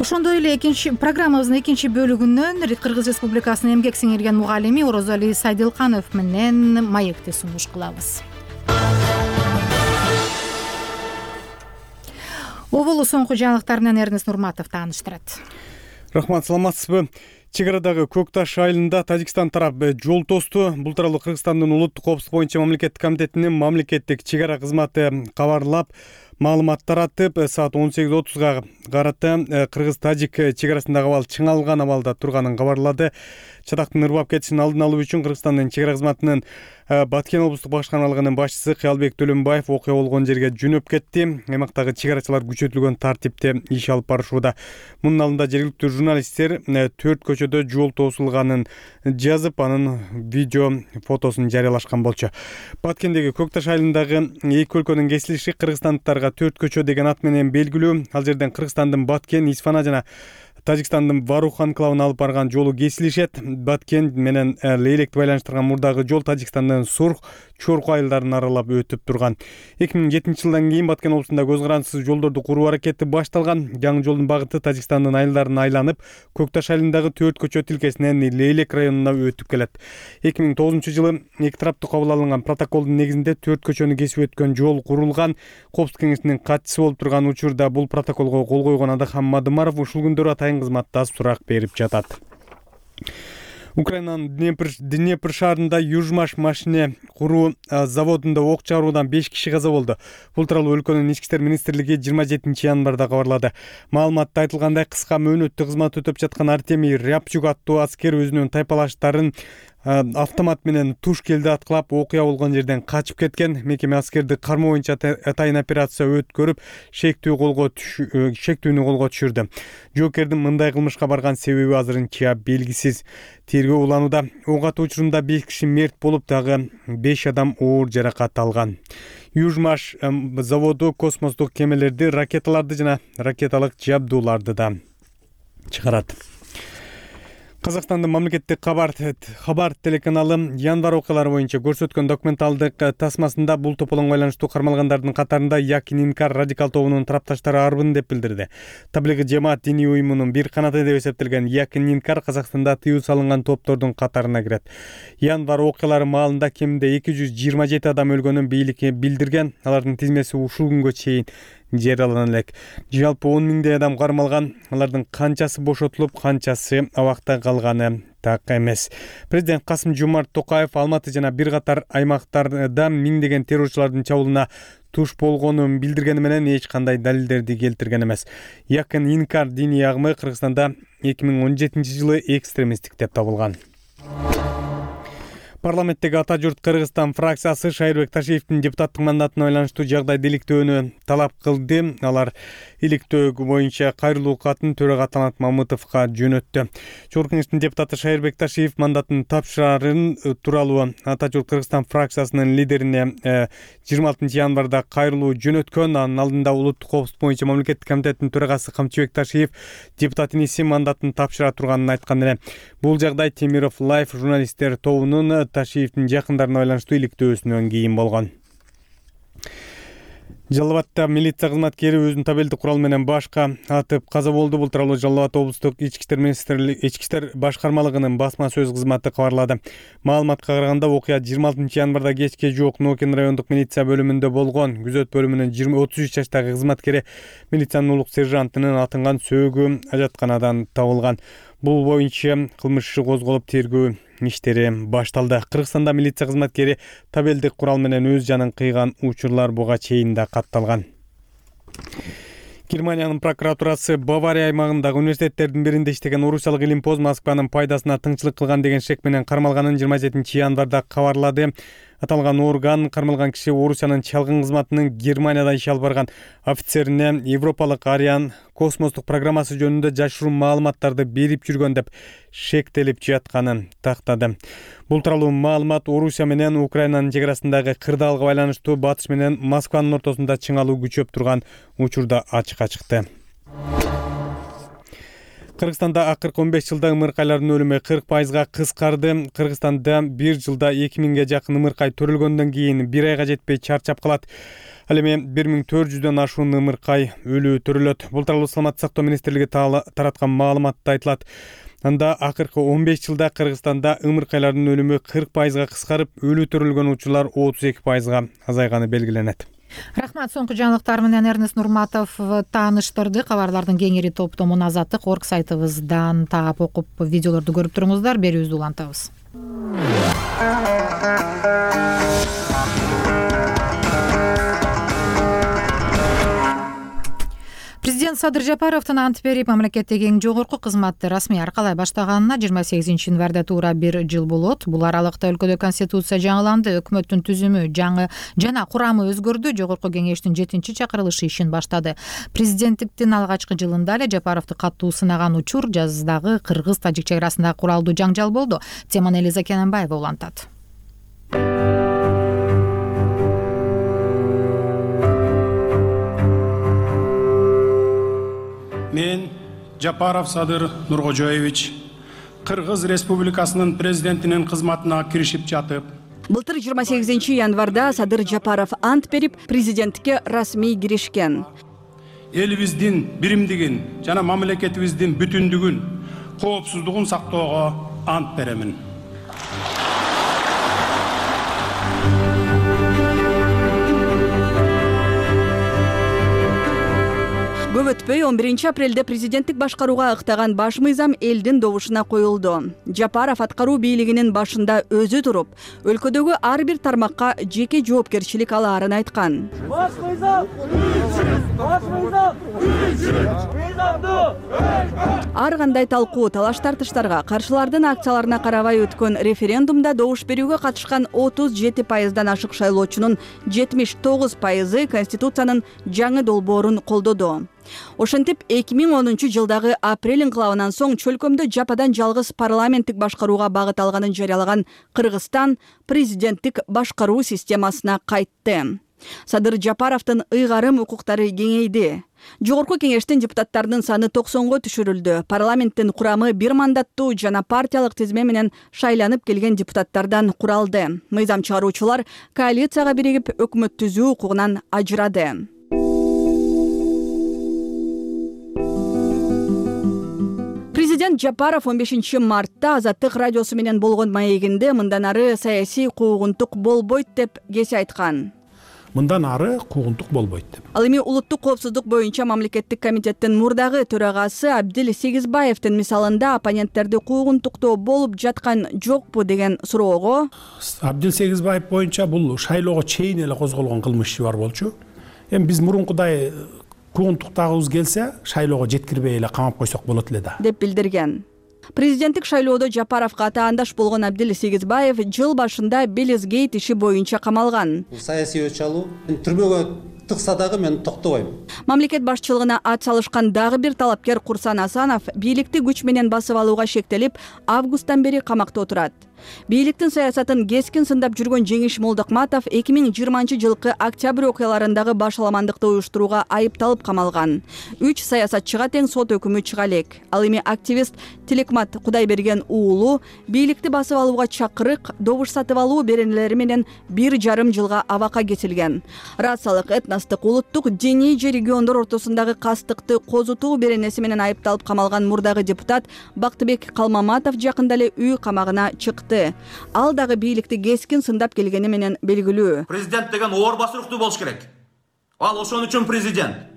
Ошондой эле программабыздын экинчи бөлүгүнөн Кыргыз Республикасынын эмгек сиңирген мугалими Орозали Сайдылканов менен маекти сунуш кылабыз. Оболу соңку жаңылыктар менен Эрнест Нурматов тааныштырат. Рахмат, саламатсызбы? Чек арадагы Көк Таш айылында Тажикстан тарап жол тосту. Бул тууралуу Кыргызстандын улуттук коопсуздук боюнча мамлекеттик комитетинин мамлекеттик чек ара кызматы кабарлап, маалымат таратып, саат 18:30 карата Кыргыз-Тажик чек арасындагы абал чыңалган абалда турганын кабарлады. Чатактын ырбап кетишин алдын алуу үчүн Кыргызстандын чек ара кызматынын Баткен облустук башкармалыгынын башчысы Кыялбек Төлөнбаев окуя болгон жерге жөнөп кетти. Аймактагы чек арачылар күчөтүлгөн тартипте иш алып барышууда. Мунун алдында жергиликтүү журналисттер 4 көчөдө жол тосулганын жазып, анын видео фотосун жарыялашкан болчу. Баткендеги Көк Таш айылындагы эки өлкөнүн кесилиши кыргызстандыктарга 4 көчө деген ат менен белгилүү. Ал жерден Кыргызстандын Баткен, Исфана жана Тажикстандын Варух анклавына алып барган жолу кесилишет. Баткен менен Лейлекти байланыштырган мурдагы жол Тажикстандын Сурх, Чорку айылдарын аралап өтүп турган. 2007 жылдан кийин Баткен облусунда көз карандысыз жолдорду куруу аракети башталган. Жаңы жолдун багыты Тажикстандын айылдарын айланып, Көк Таш айылындагы 4 көчө тилкесинен Лейлек районуна өтүп келет. 2009 жылы эки тараптуу кабыл алынган протоколдун негизинде 4 көчөнү кесип өткөн жол курулган. Коопсуздук кеңешинин катчысы болуп турган учурда бул протоколго кол койгон Адахан Мадымаров ушул күндөрү атайын кызматта сурак берип жатат. Украинанын Днепр шаарында Южмаш машине куруу заводунда ок чыгаруудан 5 киши каза болду. Бул тууралуу өлкөнүн ички иштер министрлиги 27 январда кабарлады. Маалыматта айтылгандай, кыска мөөнөттүү кызмат өтүп жаткан Артемий Рябчук аттуу аскер өзүнүн тайпалаштарын автомат менен туш келди аткылап окуя болгон жерден качып кеткен. Мекеме аскерди кармоо боюнча атайын операция өткөрүп, шектүүнү колго түшүрдү. Жоокердин мындай кылмышка барган себеби азырынча белгисиз. Тергөө уланууда. Ок атуу учурунда 5 киши мерт болуп, дагы 5 адам оор жаракат алган. Южмаш заводу космостук кемелерди, ракеталарды жана ракеталык жабдууларды да чыгарат. Казакстандын мамлекеттик кабар телеканалы январь окуялары боюнча көрсөткөн документалдык тасмасында бул тополоңго байланыштуу кармалгандардын катарында Якин Инкар радикал тобунун тарапташтары арбын деп билдирди. Таблиги жамаат диний уюмунун бир канаты деп эсептелген Якин Инкар Казакстанда тыюу салынган топтордун катарына кирет. Январь окуялары маалында кеминде 227 адам өлгөнүн бийликке билдирген. Алардын тизмеси ушул күнгө чейин жарыялана элек. Жалпы 10 миңдей адам кармалган. Алардын канчасы бошотулуп, канчасы абакта калганы так эмес. Президент Касым-Жомарт Токаев Алматы жана бир катар аймактарда миңдеген террорчулардын чабуулуна туш болгонун билдиргени менен эч кандай далилдерди келтирген эмес. Якын Инкар диний агымы Кыргызстанда 2017 жылы экстремисттик деп табылган. Парламенттеги Ата журт Кыргызстан фракциясы Шайырбек Ташиевдин депутаттык мандатына байланыштуу жагдайды иликтөөнү талап кылды. Алар иликтөө боюнча кайрылуу катын төрага Талант Мамытовго жөнөттү. Жогорку кеңештин депутаты Шайырбек Ташиев мандатын тапшырарын тууралуу Ата журт Кыргызстан фракциясынын лидерине 26 январда кайрылуу жөнөткөн. Анын алдында улуттук коопсуздук боюнча мамлекеттик комитеттин төрагасы Камчыбек Ташиев депутат иниси мандатын тапшыра турганын айткан эле. Бул жагдай Темиров Лайф журналисттер тобунун Ташиевдин жакындарына байланыштуу иликтөөсүнөн кийин болгон. Жалал Абадта милиция кызматкери өзүнүн табелдик куралы менен башка атып каза болду. Бул тууралуу Жалал Абад облустук ички иштер башкармалыгынын басма сөз кызматы кабарлады. Маалыматка караганда окуя 26 январда кечке жок Нокен райондук милиция бөлүмүндө болгон. Күзөт бөлүмүнүн 33 жаштагы кызматкери милициянын улук сержантынын атынган сөөгү ажатканадан табылган. Бул боюнча кылмыш иши козголуп тергөө иштери башталды. Кыргызстанда милиция кызматкери табелдик курал менен өз жанын кыйган учурлар буга чейин да катталган. Германиянын прокуратурасы Бавария аймагындагы университеттердин биринде иштеген орусиялык илимпоз Москванын пайдасына тыңчылык кылган деген шек менен кармалганын 27 январда кабарлады. Аталган орган кармалган киши Орусиянын чалгын кызматынын Германияда иш алып барган офицерине Европалык Ариан космостук программасы жөнүндө жашыруун маалыматтарды берип жүргөн деп шектелип жатканын тактады. Бул тууралуу маалымат Орусия менен Украинанын чек арасындагы кырдаалга байланыштуу батыш менен Москванын ортосунда чыңалуу күчөп турган учурда ачыкка чыкты. Кыргызстанда акыркы 15 жылда ымыркайлардын өлүмү 40% кыскарды. Кыргызстанда бир жылда 2000ге жакын ымыркай төрөлгөндөн кийин 1 айга жетпей чарчап калат. Ал эми 1400дөн ашуун ымыркай өлүү төрөлөт. Бул тууралуу Саламаттык сактоо министрлиги тараткан маалыматта айтылат. Анда акыркы 15 жылда Кыргызстанда ымыркайлардын өлүмү 40% кыскарып, өлүү төрөлгөн учурлар 32% азайганы белгиленет. Рахмат, соңку жаңылыктар менен Эрнест Нурматов тааныштырды. Кабарлардын кеңири топтомун Азаттык орг сайтыбыздан таап окуп, видеолорду көрүп туруңуздар. Берүүбүздү улантабыз. Президент Садыр Жапаровдун ант берип мамлекеттеги эң жогорку кызматты расмий аркалай баштаганына 28 январда туура 1 жыл болот. Бул аралыкта өлкөдө конституция жаңыланды, өкмөттүн түзүмү жана курамы өзгөрдү, жогорку кеңештин 7-чакырылышы ишин баштады. Президенттиктин алгачкы жылында эле Жапаровду катуу сынаган учур жаздагы кыргыз-тажик чек арасындагы куралдуу жаңжал болду. Теманы Элиза Кененбаева улантат. Мен Жапаров Садыр Нуркожоевич Кыргыз Республикасынын президентинин кызматына киришип жатып, былтыр 28 январда Садыр Жапаров ант берип президенттикке расмий киришкен. Элибиздин биримдигин жана мамлекетибиздин бүтүндүгүн, коопсуздугун сактоого ант беремин. Көп өтпөй 11 апрелде президенттик башкарууга ыктаган баш мыйзам элдин добушуна коюлду. Жапаров аткаруу бийлигинин башында өзү туруп, өлкөдөгү ар бир тармакка жеке жоопкерчилик алаарын айткан. Баш мыйзам! Баш мыйзам! Ар кандай талкуу, талаш-тартыштарга, каршылардын акцияларына карабай өткөн референдумда добуш берүүгө катышкан 37%дан ашык шайлоочунун 79% Конституциянын жаңы долбоорун колдоду. Ошентип 2010 жылдагы апрель инкылабынан соң чөлкөмдө жападан жалгыз парламенттик башкарууга багыт алганын жарыялаган Кыргызстан президенттик башкаруу системасына кайтты. Садыр Жапаровдун ыйгарым укуктары кеңейди. Жогорку кеңештин депутаттарынын саны 90го түшүрүлдү. Парламенттин курамы бир мандаттуу жана партиялык тизме менен шайланып келген депутаттардан куралды. Мыйзам чыгаруучулар коалицияга биригип өкмөт түзүү укугунан ажырады. Президент Жапаров 15 мартта Азаттык радиосу менен болгон маегинде мындан ары саясий куугунтук болбойт деп кесе айткан. Мындан ары куугунтук болбойт деп. Ал эми улуттук коопсуздук боюнча мамлекеттик комитеттин мурдагы төрагасы Абдил Сегизбаевдин мисалында оппоненттерди куугунтуктоо болуп жаткан жокпу деген суроого Абдил Сегизбаев боюнча бул шайлоого чейин эле козголгон кылмыш иши бар болчу. Эми биз мурункудай куугунтуктагыбыз келсе, шайлоого жеткирбей эле камап койсок болот эле да. деп билдирген. Президенттик шайлоодо Жапаровго атаандаш болгон Абдил Сегизбаев жыл башында Белизгейт иши боюнча камалган. Саясий өч алуу түрмөгө тыкса дагы мен токтобойм. Мамлекет башчылыгына ат салышкан дагы бир талапкер Курсан Асанов бийликти күч менен басып алууга шектелип, августтан бери камакта отурат. Бийликтин саясатын кескин сындап жүргөн Жеңиш Молдокматов 2020-жылкы октябрь окуяларындагы башаламандыкты уюштурууга айыпталып камалган. 3 саясатчыга тең сот өкүмү чыга элек. Ал эми активист Тилекмат Кудайберген уулу бийликти басып алууга чакырык, добуш сатып алуу беренелери менен 1,5 жылга абакка кетилген. Расалык, этностук, улуттук, диний же региондор ортосундагы кастыкты козутуу беренеси менен айыпталып камалган мурдагы депутат Бактыбек Калмаматов жакында эле үй камагына чыкты. Ал дагы бийликти кескин сындап келгени менен белгилүү. Президент деген оор басыруктуу болуш керек. Ал ошон үчүн президент.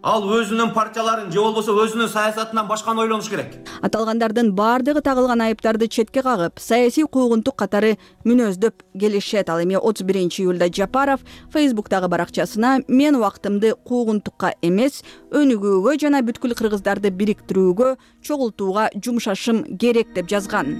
Ал өзүнүн партияларын же болбосо өзүнүн саясатынан башканы ойлонуш керек. Аталгандардын баардыгы тагылган айыптарды четке кагып, саясий куугунтук катары мүнөздөп келишет. Ал эми 31-июлда Жапаров Facebook'тагы баракчасына мен убактымды куугунтукка эмес, өнүгүүгө жана бүткүл кыргыздарды бириктирүүгө, чогултууга жумшашым керек деп жазган.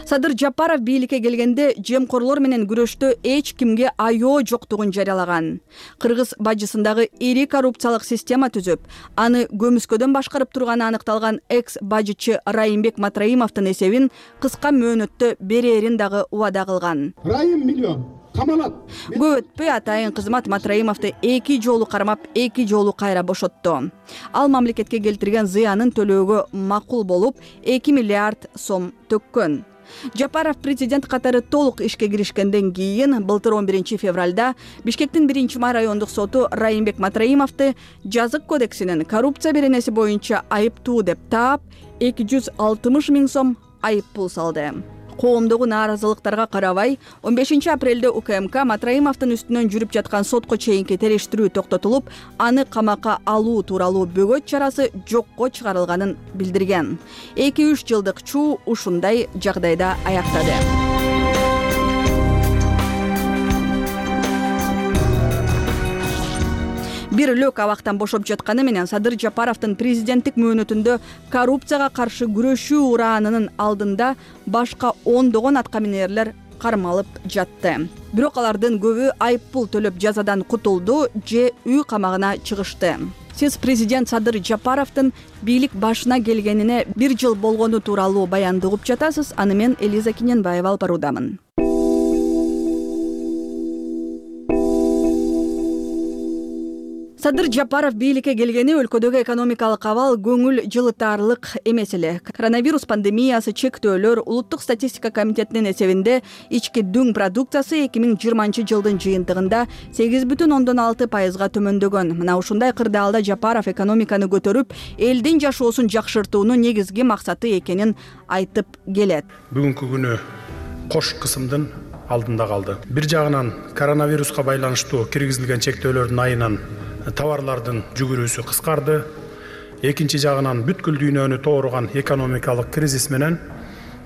Садыр Жапаров бийликке келгенде жемкорлор менен күрөштө эч кимге айоо жоктугун жарыялаган. Кыргыз бажысындагы ири коррупциялык система түзүп, аны көмүскөдөн башкарып турганы аныкталган экс-бажычы Райымбек Матраимовдун эсебин кыска мөөнөттө берерин дагы убада кылган. Райым миллион камалат. Көп өтпөй атайын кызмат Матраимовду 2 жолу кармап, 2 жолу кайра бошотту. Ал мамлекетке келтирген зыянын төлөөгө макул болуп, 2 миллиард сом төккөн. Жапаров президент катары толук ишке киришкенден кийин былтыр 11 февралда Бишкектин 1-май райондук соту Райымбек Матраимовду жазык кодексинин коррупция беренеси боюнча айыптуу деп таап, 260 миң сом айып пул салды. Коомдогу нааразылыктарга карабай, 15 апрелде УКМК Матраимовдун үстүнөн жүрүп жаткан сотко чейинки териштирүү токтотулуп, аны камакка алуу тууралуу бөгөт чарасы жокко чыгарылганын билдирген. 2-3 жылдык чуу ушундай жагдайда аяктады. Бир лөк абактан бошоп жатканы менен Садыр Жапаровдун президенттик мөөнөтүндө коррупцияга каршы күрөшүү ураанынын алдында башка ондогон аткаминерлер кармалып жатты. Бирок алардын көбү айып пул төлөп жазадан кутулду же үй камагына чыгышты. Сиз президент Садыр Жапаровдун бийлик башына келгенине 1 жыл болгону тууралуу баянды угуп жатасыз. Аны мен Элиза Киненбаева алып баруудамын. Садыр Жапаров бийликке келгени өлкөдөгү экономикалык абал көңүл жылытаарлык эмес эле. Коронавирус пандемиясы, чектөөлөр, улуттук статистика комитетинин эсебинде ички дүң продукциясы 2020-жылдын жыйынтыгында 8,6% төмөндөгөн. Мына ушундай кырдаалда Жапаров экономиканы көтөрүп, элдин жашоосун жакшыртуунун негизги максаты экенин айтып келет. Бүгүнкү күнү кош кысымдын алдында калды. Бир жагынан коронавируска байланыштуу киргизилген чектөөлөрдүн айынан товарлардын жүгүрүүсү кыскарды. Экинчи жагынан бүткүл дүйнөнү тооруган экономикалык кризис менен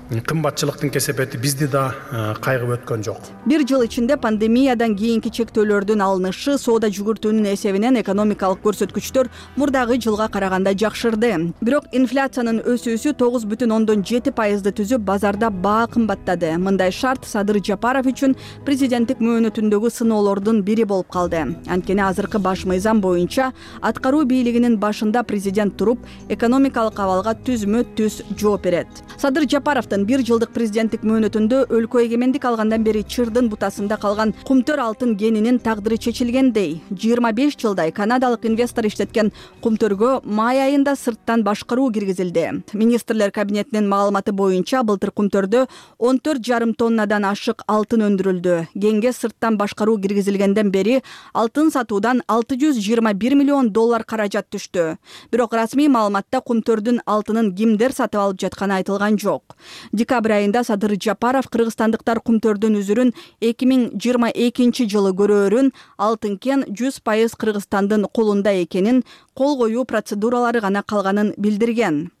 кымбатчылыктын кесепети бизди да кайгып өткөн жок. Бир жыл ичинде пандемиядан кийинки чектөөлөрдүн алынышы, соода жүгүртүүнүн эсебинен экономикалык көрсөткүчтөр мурдагы жылга караганда жакшырды. Бирок инфляциянын өсүүсү 9,7%ды түзүп, базарда баа кымбаттады. Мындай шарт Садыр Жапаров үчүн президенттик мөөнөтүндөгү сыноолордун бири болуп калды. Анткени азыркы баш мыйзам боюнча аткаруу бийлигинин башында президент туруп, экономикалык абалга түзмө-түз жооп берет. Садыр Жапаровдун 1 жылдык президенттик мөөнөтүндө өлкө эгемендик алгандан бери чырдын бутасында калган кумтөр алтын кенинин тагдыры чечилгендей. 25 жылдай канадалык инвестор иштеткен кумтөргө май айында сырттан башкаруу киргизилди. Министрлер кабинетинин маалыматы боюнча былтыр кумтөрдө 14,5 тоннадан ашык алтын өндүрүлдү. Кенге сырттан башкаруу киргизилгенден бери алтын сатуудан $621 миллион каражат түштү. Бирок расмий маалыматта кумтөрдүн алтынын кимдер сатып алып жатканы айтылган жок. Декабрь айында Садыр Жапаров кыргызстандыктар кумтөрдүн үзүрүн 2022 жылы көрөөрүн, алтын кен 100% Кыргызстандын колунда экенин, кол коюу процедуралары гана калганын билдирген.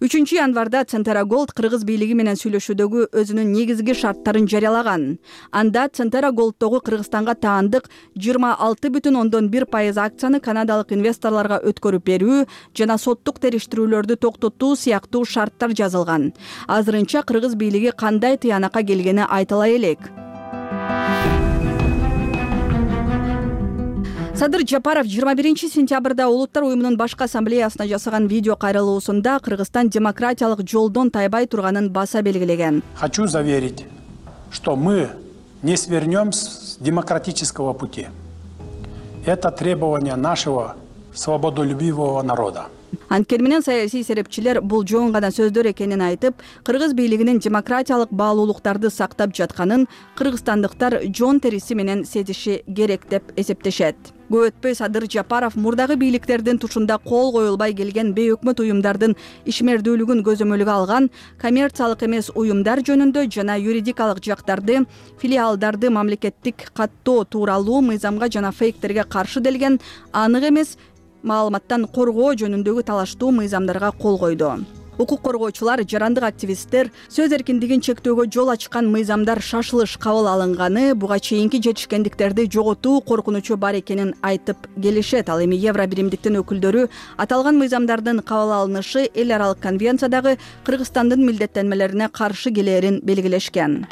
3 январда Центера Голд кыргыз бийлиги менен сүйлөшүүдөгү өзүнүн негизги шарттарын жарыялаган. Анда Центера Голдтогу Кыргызстанга таандык 26,1% акцияны канадалык инвесторлорго өткөрүп берүү жана соттук териштирүүлөрдү токтотуу сыяктуу шарттар жазылган. Азырынча кыргыз бийлиги кандай тыянакка келгени айтыла элек. Садыр Жапаров 21 сентябрда Улуттар уюмунун башкы ассамблеясына жасаган видео кайрылуусунда Кыргызстан демократиялык жолдон тайбай турганын баса белгилеген. Хочу заверить, что мы не свернем с демократического пути. Это требование нашего свободолюбивого народа. Анткени менен саясий серепчилер бул жоон гана сөздөр экенин айтып, кыргыз бийлигинин демократиялык баалуулуктарды сактап жатканын кыргызстандыктар жон териси менен сезиши керек деп эсептешет. Көп өтпөй Садыр Жапаров мурдагы бийликтердин тушунда кол коюлбай келген бейөкмөт уюмдардын ишмердүүлүгүн көзөмөлгө алган коммерциялык эмес уюмдар жөнүндө жана юридикалык жактарды, филиалдарды мамлекеттик каттоо тууралуу мыйзамга жана фейктерге каршы делген анык эмес маалыматтан коргоо жөнүндөгү талаштуу мыйзамдарга кол койду. Укук коргоочулар, жарандык активисттер сөз эркиндигин чектөөгө жол ачкан мыйзамдар шашылыш кабыл алынганы, буга чейинки жетишкендиктерди жоготуу коркунучу бар экенин айтып келишет. Ал эми Евро биримдиктин өкүлдөрү аталган мыйзамдардын кабыл алынышы эл аралык конвенциядагы Кыргызстандын милдеттенмелерине каршы келээрин белгилешкен.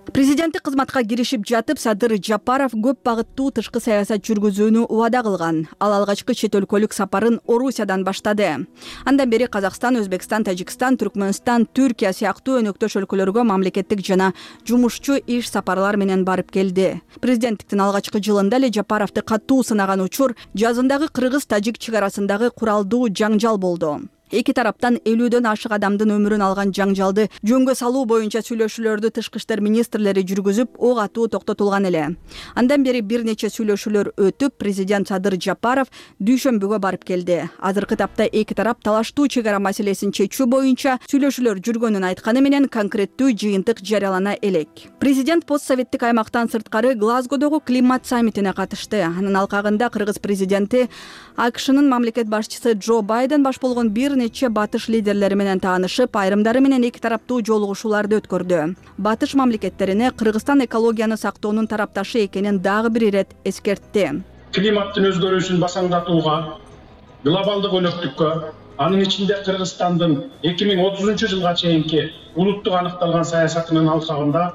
Президенттик кызматка киришип жатып, Садыр Жапаров көп багыттуу тышкы саясат жүргүзүүнү убада кылган. Ал алгачкы чет өлкөлүк сапарын Орусиядан баштады. Андан бери Казакстан, Өзбекстан, Тажикстан, Түркмөнстан, Түркия сыяктуу өнөктөш өлкөлөргө мамлекеттик жана жумушчу иш сапарлар менен барып келди. Президенттиктин алгачкы жылында эле Жапаровду катуу сынаган учур жазындагы кыргыз-тажик чек арасындагы куралдуу жаңжал болду. Эки тараптан 50дөн ашык адамдын өмүрүн алган жаңжалды жөнгө салуу боюнча сүйлөшүүлөрдү тышкы иштер министрлери жүргүзүп, ок атуу токтотулган эле. Андан бери бир нече сүйлөшүүлөр өтүп, президент Садыр Жапаров дүйшөмбүгө барып келди. Азыркы тапта эки тарап талаштуу чек ара маселесин чечүү боюнча сүйлөшүүлөр жүргөнүн айтканы менен конкреттүү жыйынтык жарыялана элек. Президент постсоветтик аймактан сырткары Глазгодогу климат саммитине катышты. Анын алкагында кыргыз президенти АКШнын мамлекет башчысы Джо Байден баш болгон бир нече батыш лидерлери менен таанышып, айрымдары менен эки тараптуу жолугушууларды өткөрдү. Батыш мамлекеттерине Кыргызстан экологияны сактоонун тарапташы экенин дагы бир ирет эскертти. Климаттын өзгөрүүсүн басаңдатууга, глобалдык өнөктүккө, анын ичинде Кыргызстандын 2030 жылга чейинки улуттук аныкталган саясатынын алкагында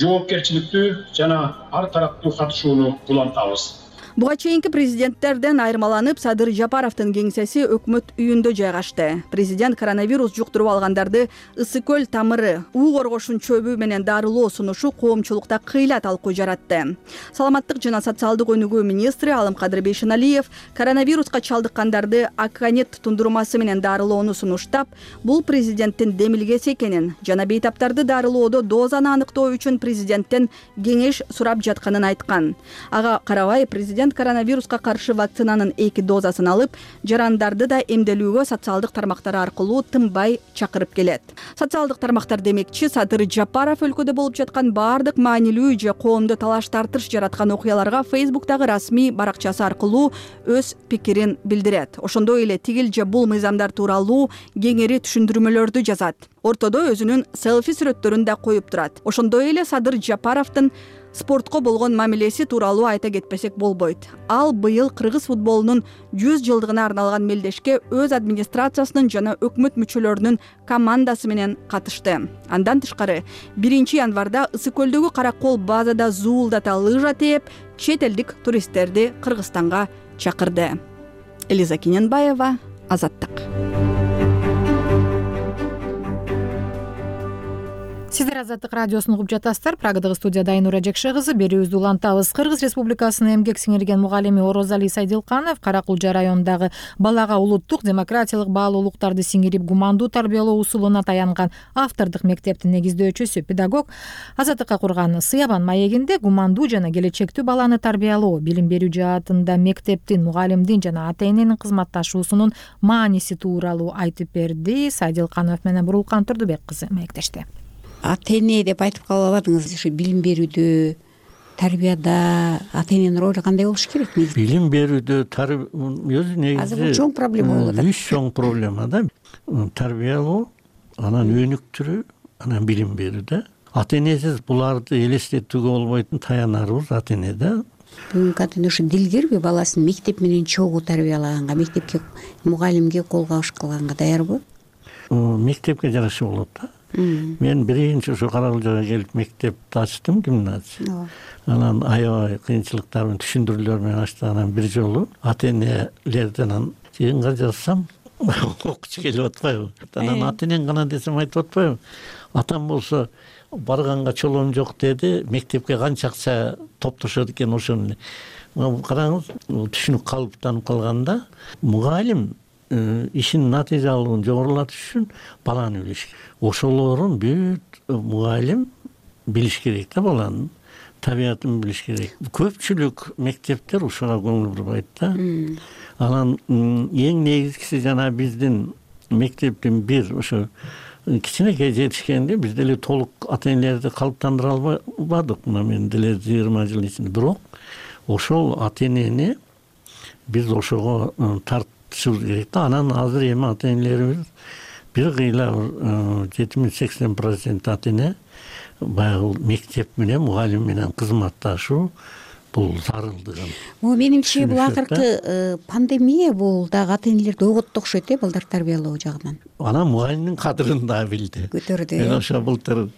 жоопкерчиликтүү жана ар тараптуу катышууну улантабыз. Буга чейинки президенттерден айырмаланып, Садыр Жапаровдун кеңсеси өкмөт үйүндө жайгашты. Президент коронавирус жуктуруп алгандарды ысык көл тамыры, уу коргошун чөбү менен дарылоо сунушу коомчулукта кыйла талкуу жаратты. Саламаттык жана социалдык өнүгүү министри Алымкадыр Бейшеналиев коронавируска чалдыккандарды Акканет тундурмасы менен дарылоону сунуштап, бул президенттин демилгеси экенин жана бейтаптарды дарылоодо дозаны аныктоо үчүн президенттен кеңеш сурап жатканын айткан. Ага карабай президент коронавируска каршы вакцинанын 2 дозасын алып, жарандарды да эмделүүгө социалдык тармактар аркылуу тынбай чакырып келет. Социалдык тармактар демекчи, Садыр Жапаров өлкөдө болуп жаткан баардык маанилүү же коомдо талаш тартыш жараткан окуяларга Facebook'тагы расмий баракчасы аркылуу өз пикирин билдирет. Ошондой эле тигил же бул мыйзамдар тууралуу кеңири түшүндүрмөлөрдү жазат. Ортодо өзүнүн селфи сүрөттөрүн да коюп турат. Ошондой эле Садыр Жапаровдун спортко болгон мамилеси тууралуу айта кетпесек болбойт. Ал быйыл кыргыз футболунун 100 жылдыгына арналган мелдешке өз администрациясынын жана өкмөт мүчөлөрүнүн командасы менен катышты. Андан тышкары 1 январда Ысык көлдөгү Каракол базада зуулдата лыжа тээп, чет элдик туристтерди Кыргызстанга чакырды. Элиза Кененбаева, Азаттык. Сиздер Азаттык радиосун угуп жатасыздар. Прагадагы студияда Айнура Жекше кызы, берүүбүздү улантабыз. Кыргыз Республикасынын эмгек сиңирген мугалими Орозали Сайдилканов Каракулжа районундагы балага улуттук демократиялык баалуулуктарды сиңирип гумандуу тарбиялоо усулуна таянган автордук мектептин негиздөөчүсү, педагог. Азаттыкка курган Сыябан маегинде гумандуу жана келечектүү баланы тарбиялоо, билим берүү жаатында мектептин, мугалимдин жана ата-эненин кызматташуусунун мааниси тууралуу айтып берди. Сайдилканов менен Бурулкан Турдубек кызы маектешти. Ата-эне деп айтып кала албадыңыз, ушу билим берүүдө тарбияда ата эненин ролу кандай болуш керек? Билим берүүдө өзү негизи азыр бул чоң проблема болуп атат. Үч чоң проблема да. Тарбиялоо, анан өнүктүрүү, анан билим берүү да. Ата энесиз буларды элестетүүгө болбойтун таянарыбыз ата эне да. Бүгүнкү ата эне ушу дилгерби, баласын мектеп менен чогуу тарбиялаганга, мектепке мугалимге колго алыш кылганга даярбы? Мектепке жараша болот да. Мен биринчи ушу Карагылжага келип мектепти ачтым, гимназия. Анан аябай кыйынчылыктар менен, түшүндүрүүлөр менен ачтым. Анан бир жолу ата энелерден жыйынга жазсам окуучу келип атпайбы? Анан ата энең гана десем айтып атпайбы? Атам болсо барганга чолоом жок деди, мектепке канча акча топтошот экен ошону. Караңыз, түшүнүк калыптанып калганда, мугалим ишинин натыйжалуулугун жогорулатыш үчүн баланы билиш керек. Ошолорун бүт мугалим билиш керек да, баланын табиятын билиш керек. Көпчүлүк мектептер ушуга көңүл бурбайт да. Анан эң негизгиси жана биздин мектептин бир ошо кичинекей жетишкенде биз деле толук ата энелерди калыптандыра албадык. Мына мен деле 20 жыл ичинде. Бирок ошол ата энени биз ошого тартышыбыз керек да. Анан азыр эми ата энелерибиз бир кыйла 70-80% ата эне баягы мектеп менен мугалим менен кызматташуу бул зарылдыгын. Менимче бул акыркы пандемия бул дагы ата энелерди ойготту окшойт балдар тарбиялоо жагынан. Анан мугалимдин кадырын да билди. Көтөрдү. Мен ошо былтыр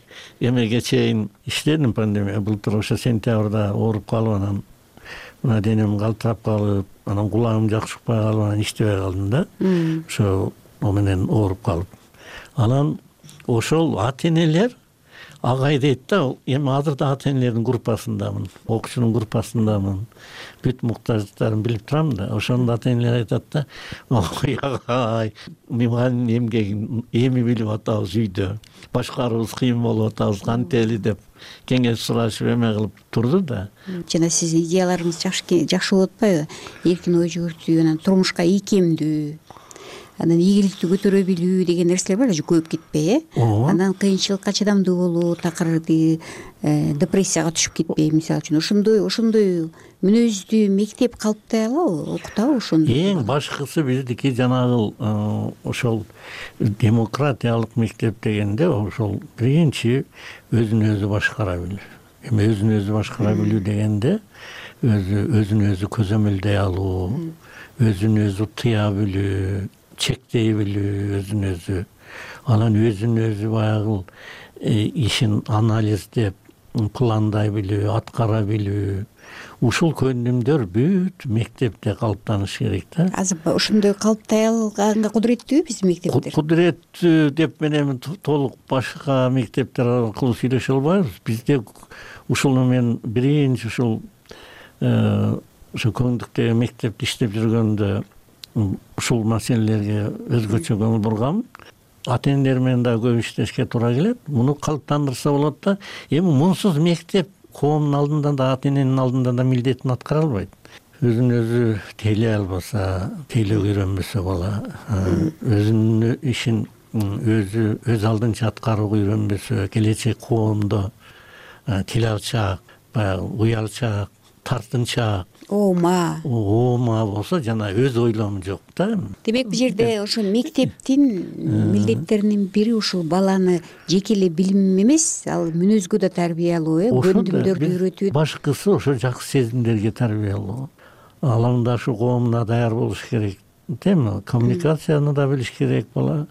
эмеге чейин иштедим, пандемия былтыр ошо сентябрда ооруп калып, анан мына денем калтырап калып, анан кулагым жакшы укпай калып, анан иштебей калдым да. Ошо менен ооруп калып. Анан ошол ата энелер агай дейт да, эми азыр да ата энелердин группасындамын, окуучунун группасындамын. Бүт муктаждыктарын билип турам да. Ошондо ата энелер айтат да, ой агай, мугалимдин эмгегин эми билип атабыз үйдө. Башкарыбыз кыйын болуп атабыз, кантели деп кеңеш сурашып эме кылып турду да. Жана сиздин идеяларыңыз жакшы болуп атпайбы? Эркин ой жүгүртүү, анан турмушка ийкемдүү, анан ийгиликти көтөрө билүү деген нерселер бар, көйүп кетпей, анан кыйынчылыкка чыдамдуу болуу, такыр депрессияга түшүп кетпей, мисалы үчүн ошондой мүнөздүү мектеп калыптай алабы, окутабы ошону? Эң башкысы биздики жанагы ошол демократиялык мектеп дегенде ошол биринчи өзүн өзү башкара билүү. Эми өзүн өзү башкара билүү дегенде өзүн өзү көзөмөлдөй алуу, өзүн өзү тыя билүү, чектей билүү, өзүн өзү, анан өзүн өзү баягы ишин анализдеп, пландай билүү, аткара билүү. Ушул көндүмдөр бүт мектепте калыптаныш керек да. Азыр ошондой калыптай алганга кудуреттүүбү биздин мектептер? Кудуреттүү деп мен эми толук башка мектептер аркылуу сүйлөшө албайбыз. Бизде ушуну мен биринчи ушул ошо көңдүктөгү мектепте иштеп жүргөндө ушул маселелерге өзгөчө көңүл бургам. Ата энелер менен да көп иштешке туура келет. Муну калыптандырса болот да. Эми мунсуз мектеп коомдун алдында да, ата эненин алдында да милдетин аткара албайт. Өзүн өзү тейлей албаса, тейлөөгө үйрөнбөсө бала, өзүнүн ишин өз алдынча аткарууга үйрөнбөсө, келечек коомдо тил алчаак, баягы уялчаак, тартынчаак, оома болсо жана өз ойлому жок да. Демек, бул жерде ошо мектептин милдеттеринин бири ушул баланы жеке эле билим эмес, ал мүнөзгө да тарбиялоо, көндүмдөрдү үйрөтүү. Башкысы ошо жакшы сезимдерге тарбиялоо. Алаңдашу коомуна даяр болуш керек, теми? Коммуникацияны да билиш керек бала.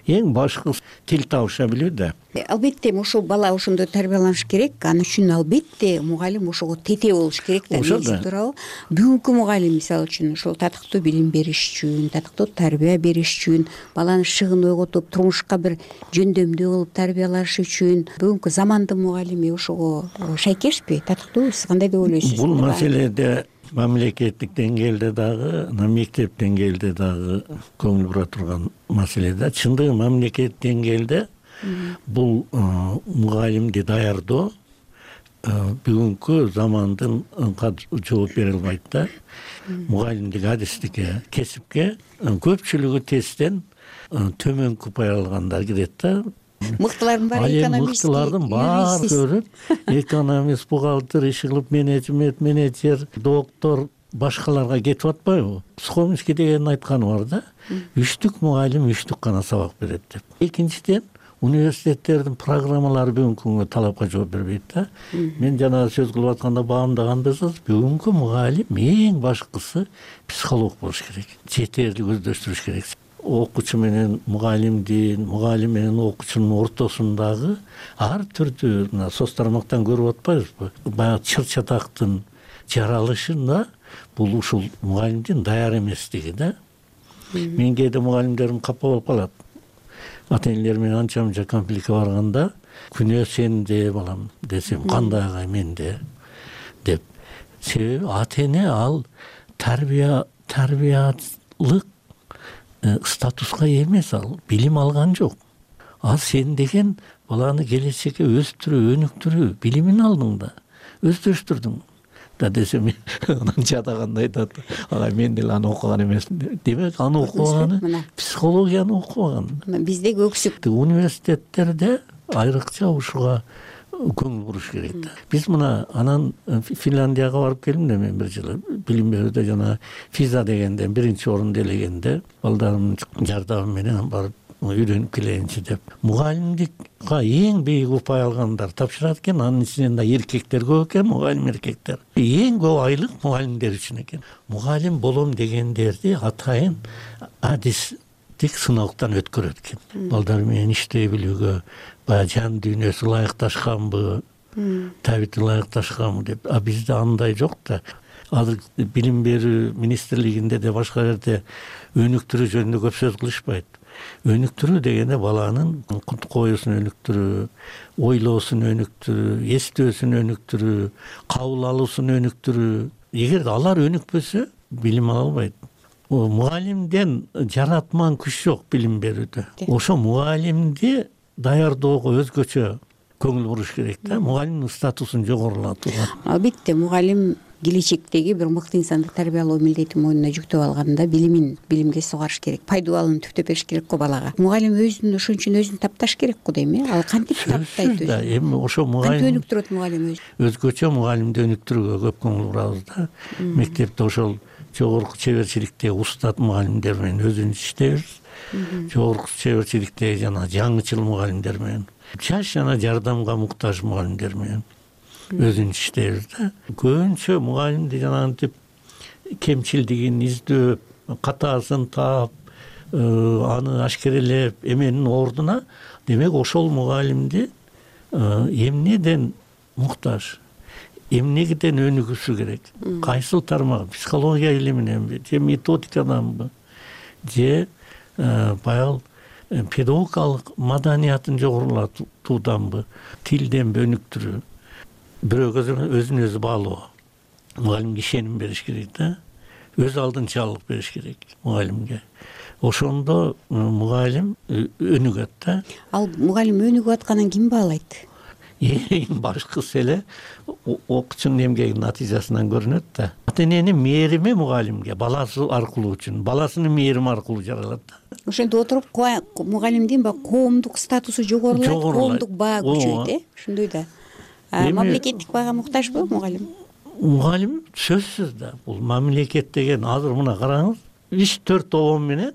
Эң башкысы тил табыша билүү да. Албетте ошол бала ошондой тарбияланыш керек. Ал үчүн албетте мугалим ошого тете болуш керек да. Туурабы? Бүгүнкү мугалим мисалы үчүн ошол татыктуу билим бериш үчүн, татыктуу тарбия бериш үчүн, баланы шыгын ойготуп, турмушка бир жөндөмдүү кылып тарбиялаш үчүн бүгүнкү замандын мугалими ошого шайкешпи? Татыктуубу? Сиз кандай деп ойлойсуз? Бул маселеде мамлекеттик деңгээлде дагы, мектеп деңгээлде дагы көңүл бура турган маселе да. Чындыгы мамлекет деңгээлде бул мугалимди даярдоо бүгүнкү замандын жооп бере албайт да. Мугалимдик адистикке, кесипке көпчүлүгү тесттен төмөнкү пай алгандар кирет да. мыктылардын баары экономист, мыктылардын баары көрүп, экономист, бухгалтер, иш кылып, менеджер, доктор башкаларга кетип атпайбы? Сухомский деген айтканы бар да, 3 мугалим 3 гана сабак берет деп. Экинчиден, университеттердин программалары бүгүнкү күнгө талапка жооп бербейт да. Мен жана сөз кылып атканда баамдагандысыз, бүгүнкү мугалим эң башкысы психолог болуш керек, жетерлик өздөштүрүш керек. Окуучу менен мугалимдин, мугалим менен окуучунун ортосундагы ар түрдүү мына соц тармактан көрүп атпайбызбы? Баягы чыр-чатактын жаралышында бул ушул мугалимдин даяр эместиги да. Мен кээде мугалимдерим капа болуп калат. Ата-энелер менен анча-мынча конфликтке барганда, күнөө сенде балам десем, кандай агай менде деп. Себеби ата-эне ал тарбиялык статуска эмес, ал билим алган жок. Ал сен деген баланы келечекке өстүрүү, өнүктүрүү билимин алдың да, өздөштүрдүң да десем, анан жадаганда айтат, агай мен деле аны окуган эмесмин. Демек, аны окубаганы, психологияны окубаган. Биздеги өксүк. Университеттерде айрыкча ушуга көңүл буруш керек да. Биз мына анан Финляндияга барып келдим да мен бир жылы. Билим берүүдө жана физа дегенден 1-орунду ээлегенде балдарымдын жардамы менен барып үйрөнүп келейинчи деп. Мугалимдикка эң бийик упай алгандар тапшырат экен, анын ичинен да эркектер көп экен, мугалим эркектер. Эң көп айлык мугалимдер үчүн экен. Мугалим болом дегендерди атайын адистик сыноктон өткөрөт экен. Балдар менен иштей билүүгө, баягы жан дүйнөсү ылайыкташканбы, табити ылайыкташканбы деп. А бизде андай жок да. Азыр билим берүү министрлигинде де башка жерде өнүктүрүү жөнүндө көп сөз кылышпайт. Өнүктүрүү дегенде баланын коюусун өнүктүрүү, ойлоосун өнүктүрүү, эстөөсүн өнүктүрүү, кабыл алуусун өнүктүрүү. Эгер алар өнүкпөсө, билим ала албайт. Мугалимден жаратман күч жок билим берүүдө. Ошо мугалимди даярдоого өзгөчө көңүл буруш керек да, мугалимдин статусун жогорулатууга. Албетте, мугалим келечектеги бир мыкты инсанды тарбиялоо милдетин мойнуна жүктөп алганда билимге сугарыш керек, пайдубалын түптөп бериш керек го балага. Мугалим өзүн ошон үчүн өзүн тапташ керек го дейм э. Ал кантип таптайт өзүн? Эми ошо мугалим кантип өнүктүрөт мугалим өзүн? Өзгөчө мугалимди өнүктүрүүгө көп көңүл бурабыз да. Мектепте ошол жогорку чеберчиликтеги устат мугалимдер менен өзүбүз иштейбиз. Жогорку чеберчиликтеги жана жаңычыл мугалимдер менен, жаш жана жардамга муктаж мугалимдер менен өзүн иштейбиз да. Көбүнчө мугалимди жанагынтип кемчилдигин издөөп, катаасын таап, аны ашкерелеп эменин ордуна, демек ошол мугалимди эмнеден муктаж, эмнеден өнүгүшү керек? Кайсыл тармак? Психология илиминенби, же методикаданбы, же баягы педагогикалык маданиятын жогорулатууданбы, тилденби өнүктүрүү? Бирөөгө өзүн өзү баалоо. Мугалимге ишеним бериш керек да. Өз алдынчалык бериш керек мугалимге. Ошондо мугалим өнүгөт да. Ал мугалим өнүгүп атканын ким баалайт? Эң башкысы эле окуучунун эмгегинин натыйжасынан көрүнөт да. Ата-эненин мээрими мугалимге баласы аркылуу үчүн, баласынын мээрими аркылуу жаралат да. Ошентип отуруп мугалимдин коомдук статусу жогорулайт, коомдук баа күчөйт, э? Ошондой да. Мамлекеттик баага муктажбы мугалим? Мугалим сөзсүз да. Бул мамлекет деген азыр мына караңыз, 3-4 обон менен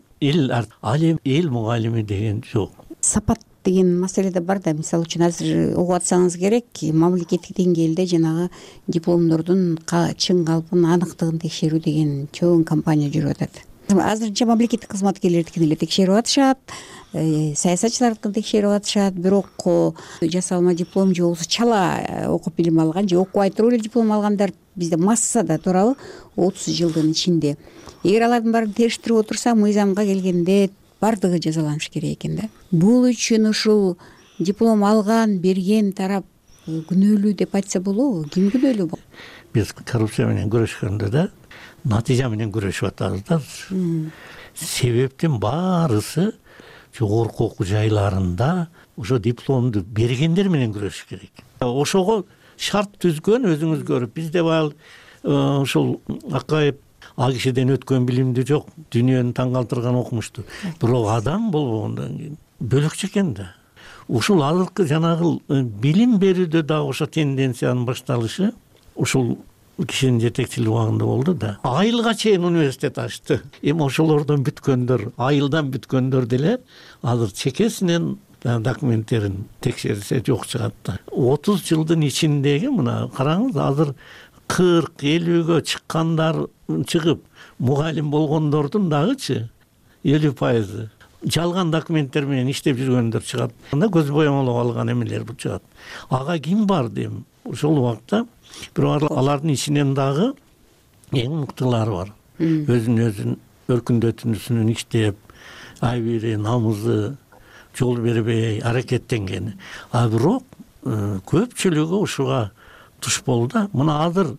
ал эл мугалими деген жок. Сапат деген маселе да бар да. Мисалы үчүн азыр угуп атсаңыз керек, мамлекеттик деңгээлде жанагы дипломдордун чын калпын, аныктыгын текшерүү деген чоң компания жүрүп атат. Азырынча мамлекеттик кызматкерлердикин эле текшерип атышат, саясатчылардыкын текшерип атышат, бирок жасалма диплом же болбосо чала окуп билим алган же окубай туруп эле диплом алгандар бизде массада туурабы 30 жылдын ичинде. Эгер алардын баарын териштирип отурса, мыйзамга келгенде бардыгы жазаланыш керек экен да. Бул үчүн ушул диплом алган, берген тарап күнөөлүү деп айтса болобу? Ким күнөөлүү? Биз коррупция менен күрөшкөндө да натыйжа менен күрөшүп атабыз да. Себептин баарысы жогорку окуу жайларында ошо дипломду бергендер менен күрөшүш керек. Ошого шарт түзгөн өзүңүз көрүп, бизде баягы ушул Акаев ал кишиден өткөн билимди жок, дүйнөнү таң калтырган окумушту. Бирок адам болбогондон кийин бөлөкчө экен да. ушул азыркы жанагы билим берүүдө дагы ошо тенденциянын башталышы ушул кишинин жетекчилиги убагында болду да. Айылга чейин университет ачты. Эми ошолордон бүткөндөр, айылдан бүткөндөр деле азыр чекесинен документтерин текшерсе жок чыгат да. 30 жылдын ичиндеги мына караңыз, азыр 40-50гө чыккандар чыгып, мугалим болгондордун дагычы 50% жалган документтер менен иштеп жүргөндөр чыгат. Анда көз боямалап алган эмелер бул чыгат. Ага ким бар дейм? Ошол убакта бирок алардын ичинен дагы эң мыктылары бар. Өзүн өркүндөтүүсүнөн иштеп, айбири, намызы жол бербей аракеттенген. А бирок көпчүлүгү ушуга туш болду. Мына азыр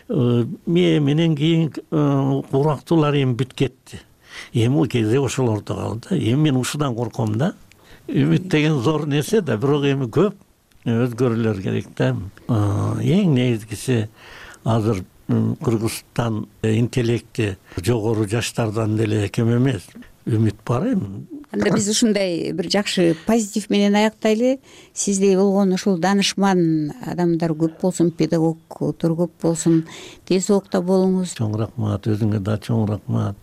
менен кийин урактуулар эми бүт кетти. Эми у кезде ошолордо калды. Эми мен ушудан корком да. Үмүт деген зор нерсе да, бирок эми көп өзгөрүүлөр керек да. Эң негизгиси азыр Кыргызстан интеллекти жогору жаштардан деле кем эмес. Үмүт бар эми. Анда биз ушундай бир жакшы позитив менен аяктайлы. Сиздей болгон ушул данышман адамдар көп болсун, педагогдор көп болсун. Тез окта болуңуз. Чоң рахмат, өзүңө да чоң рахмат.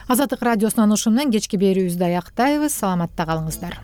Азаттык радиосунан ушундан кечки берүүбүздү аяктайбыз. Саламатта калыңыздар.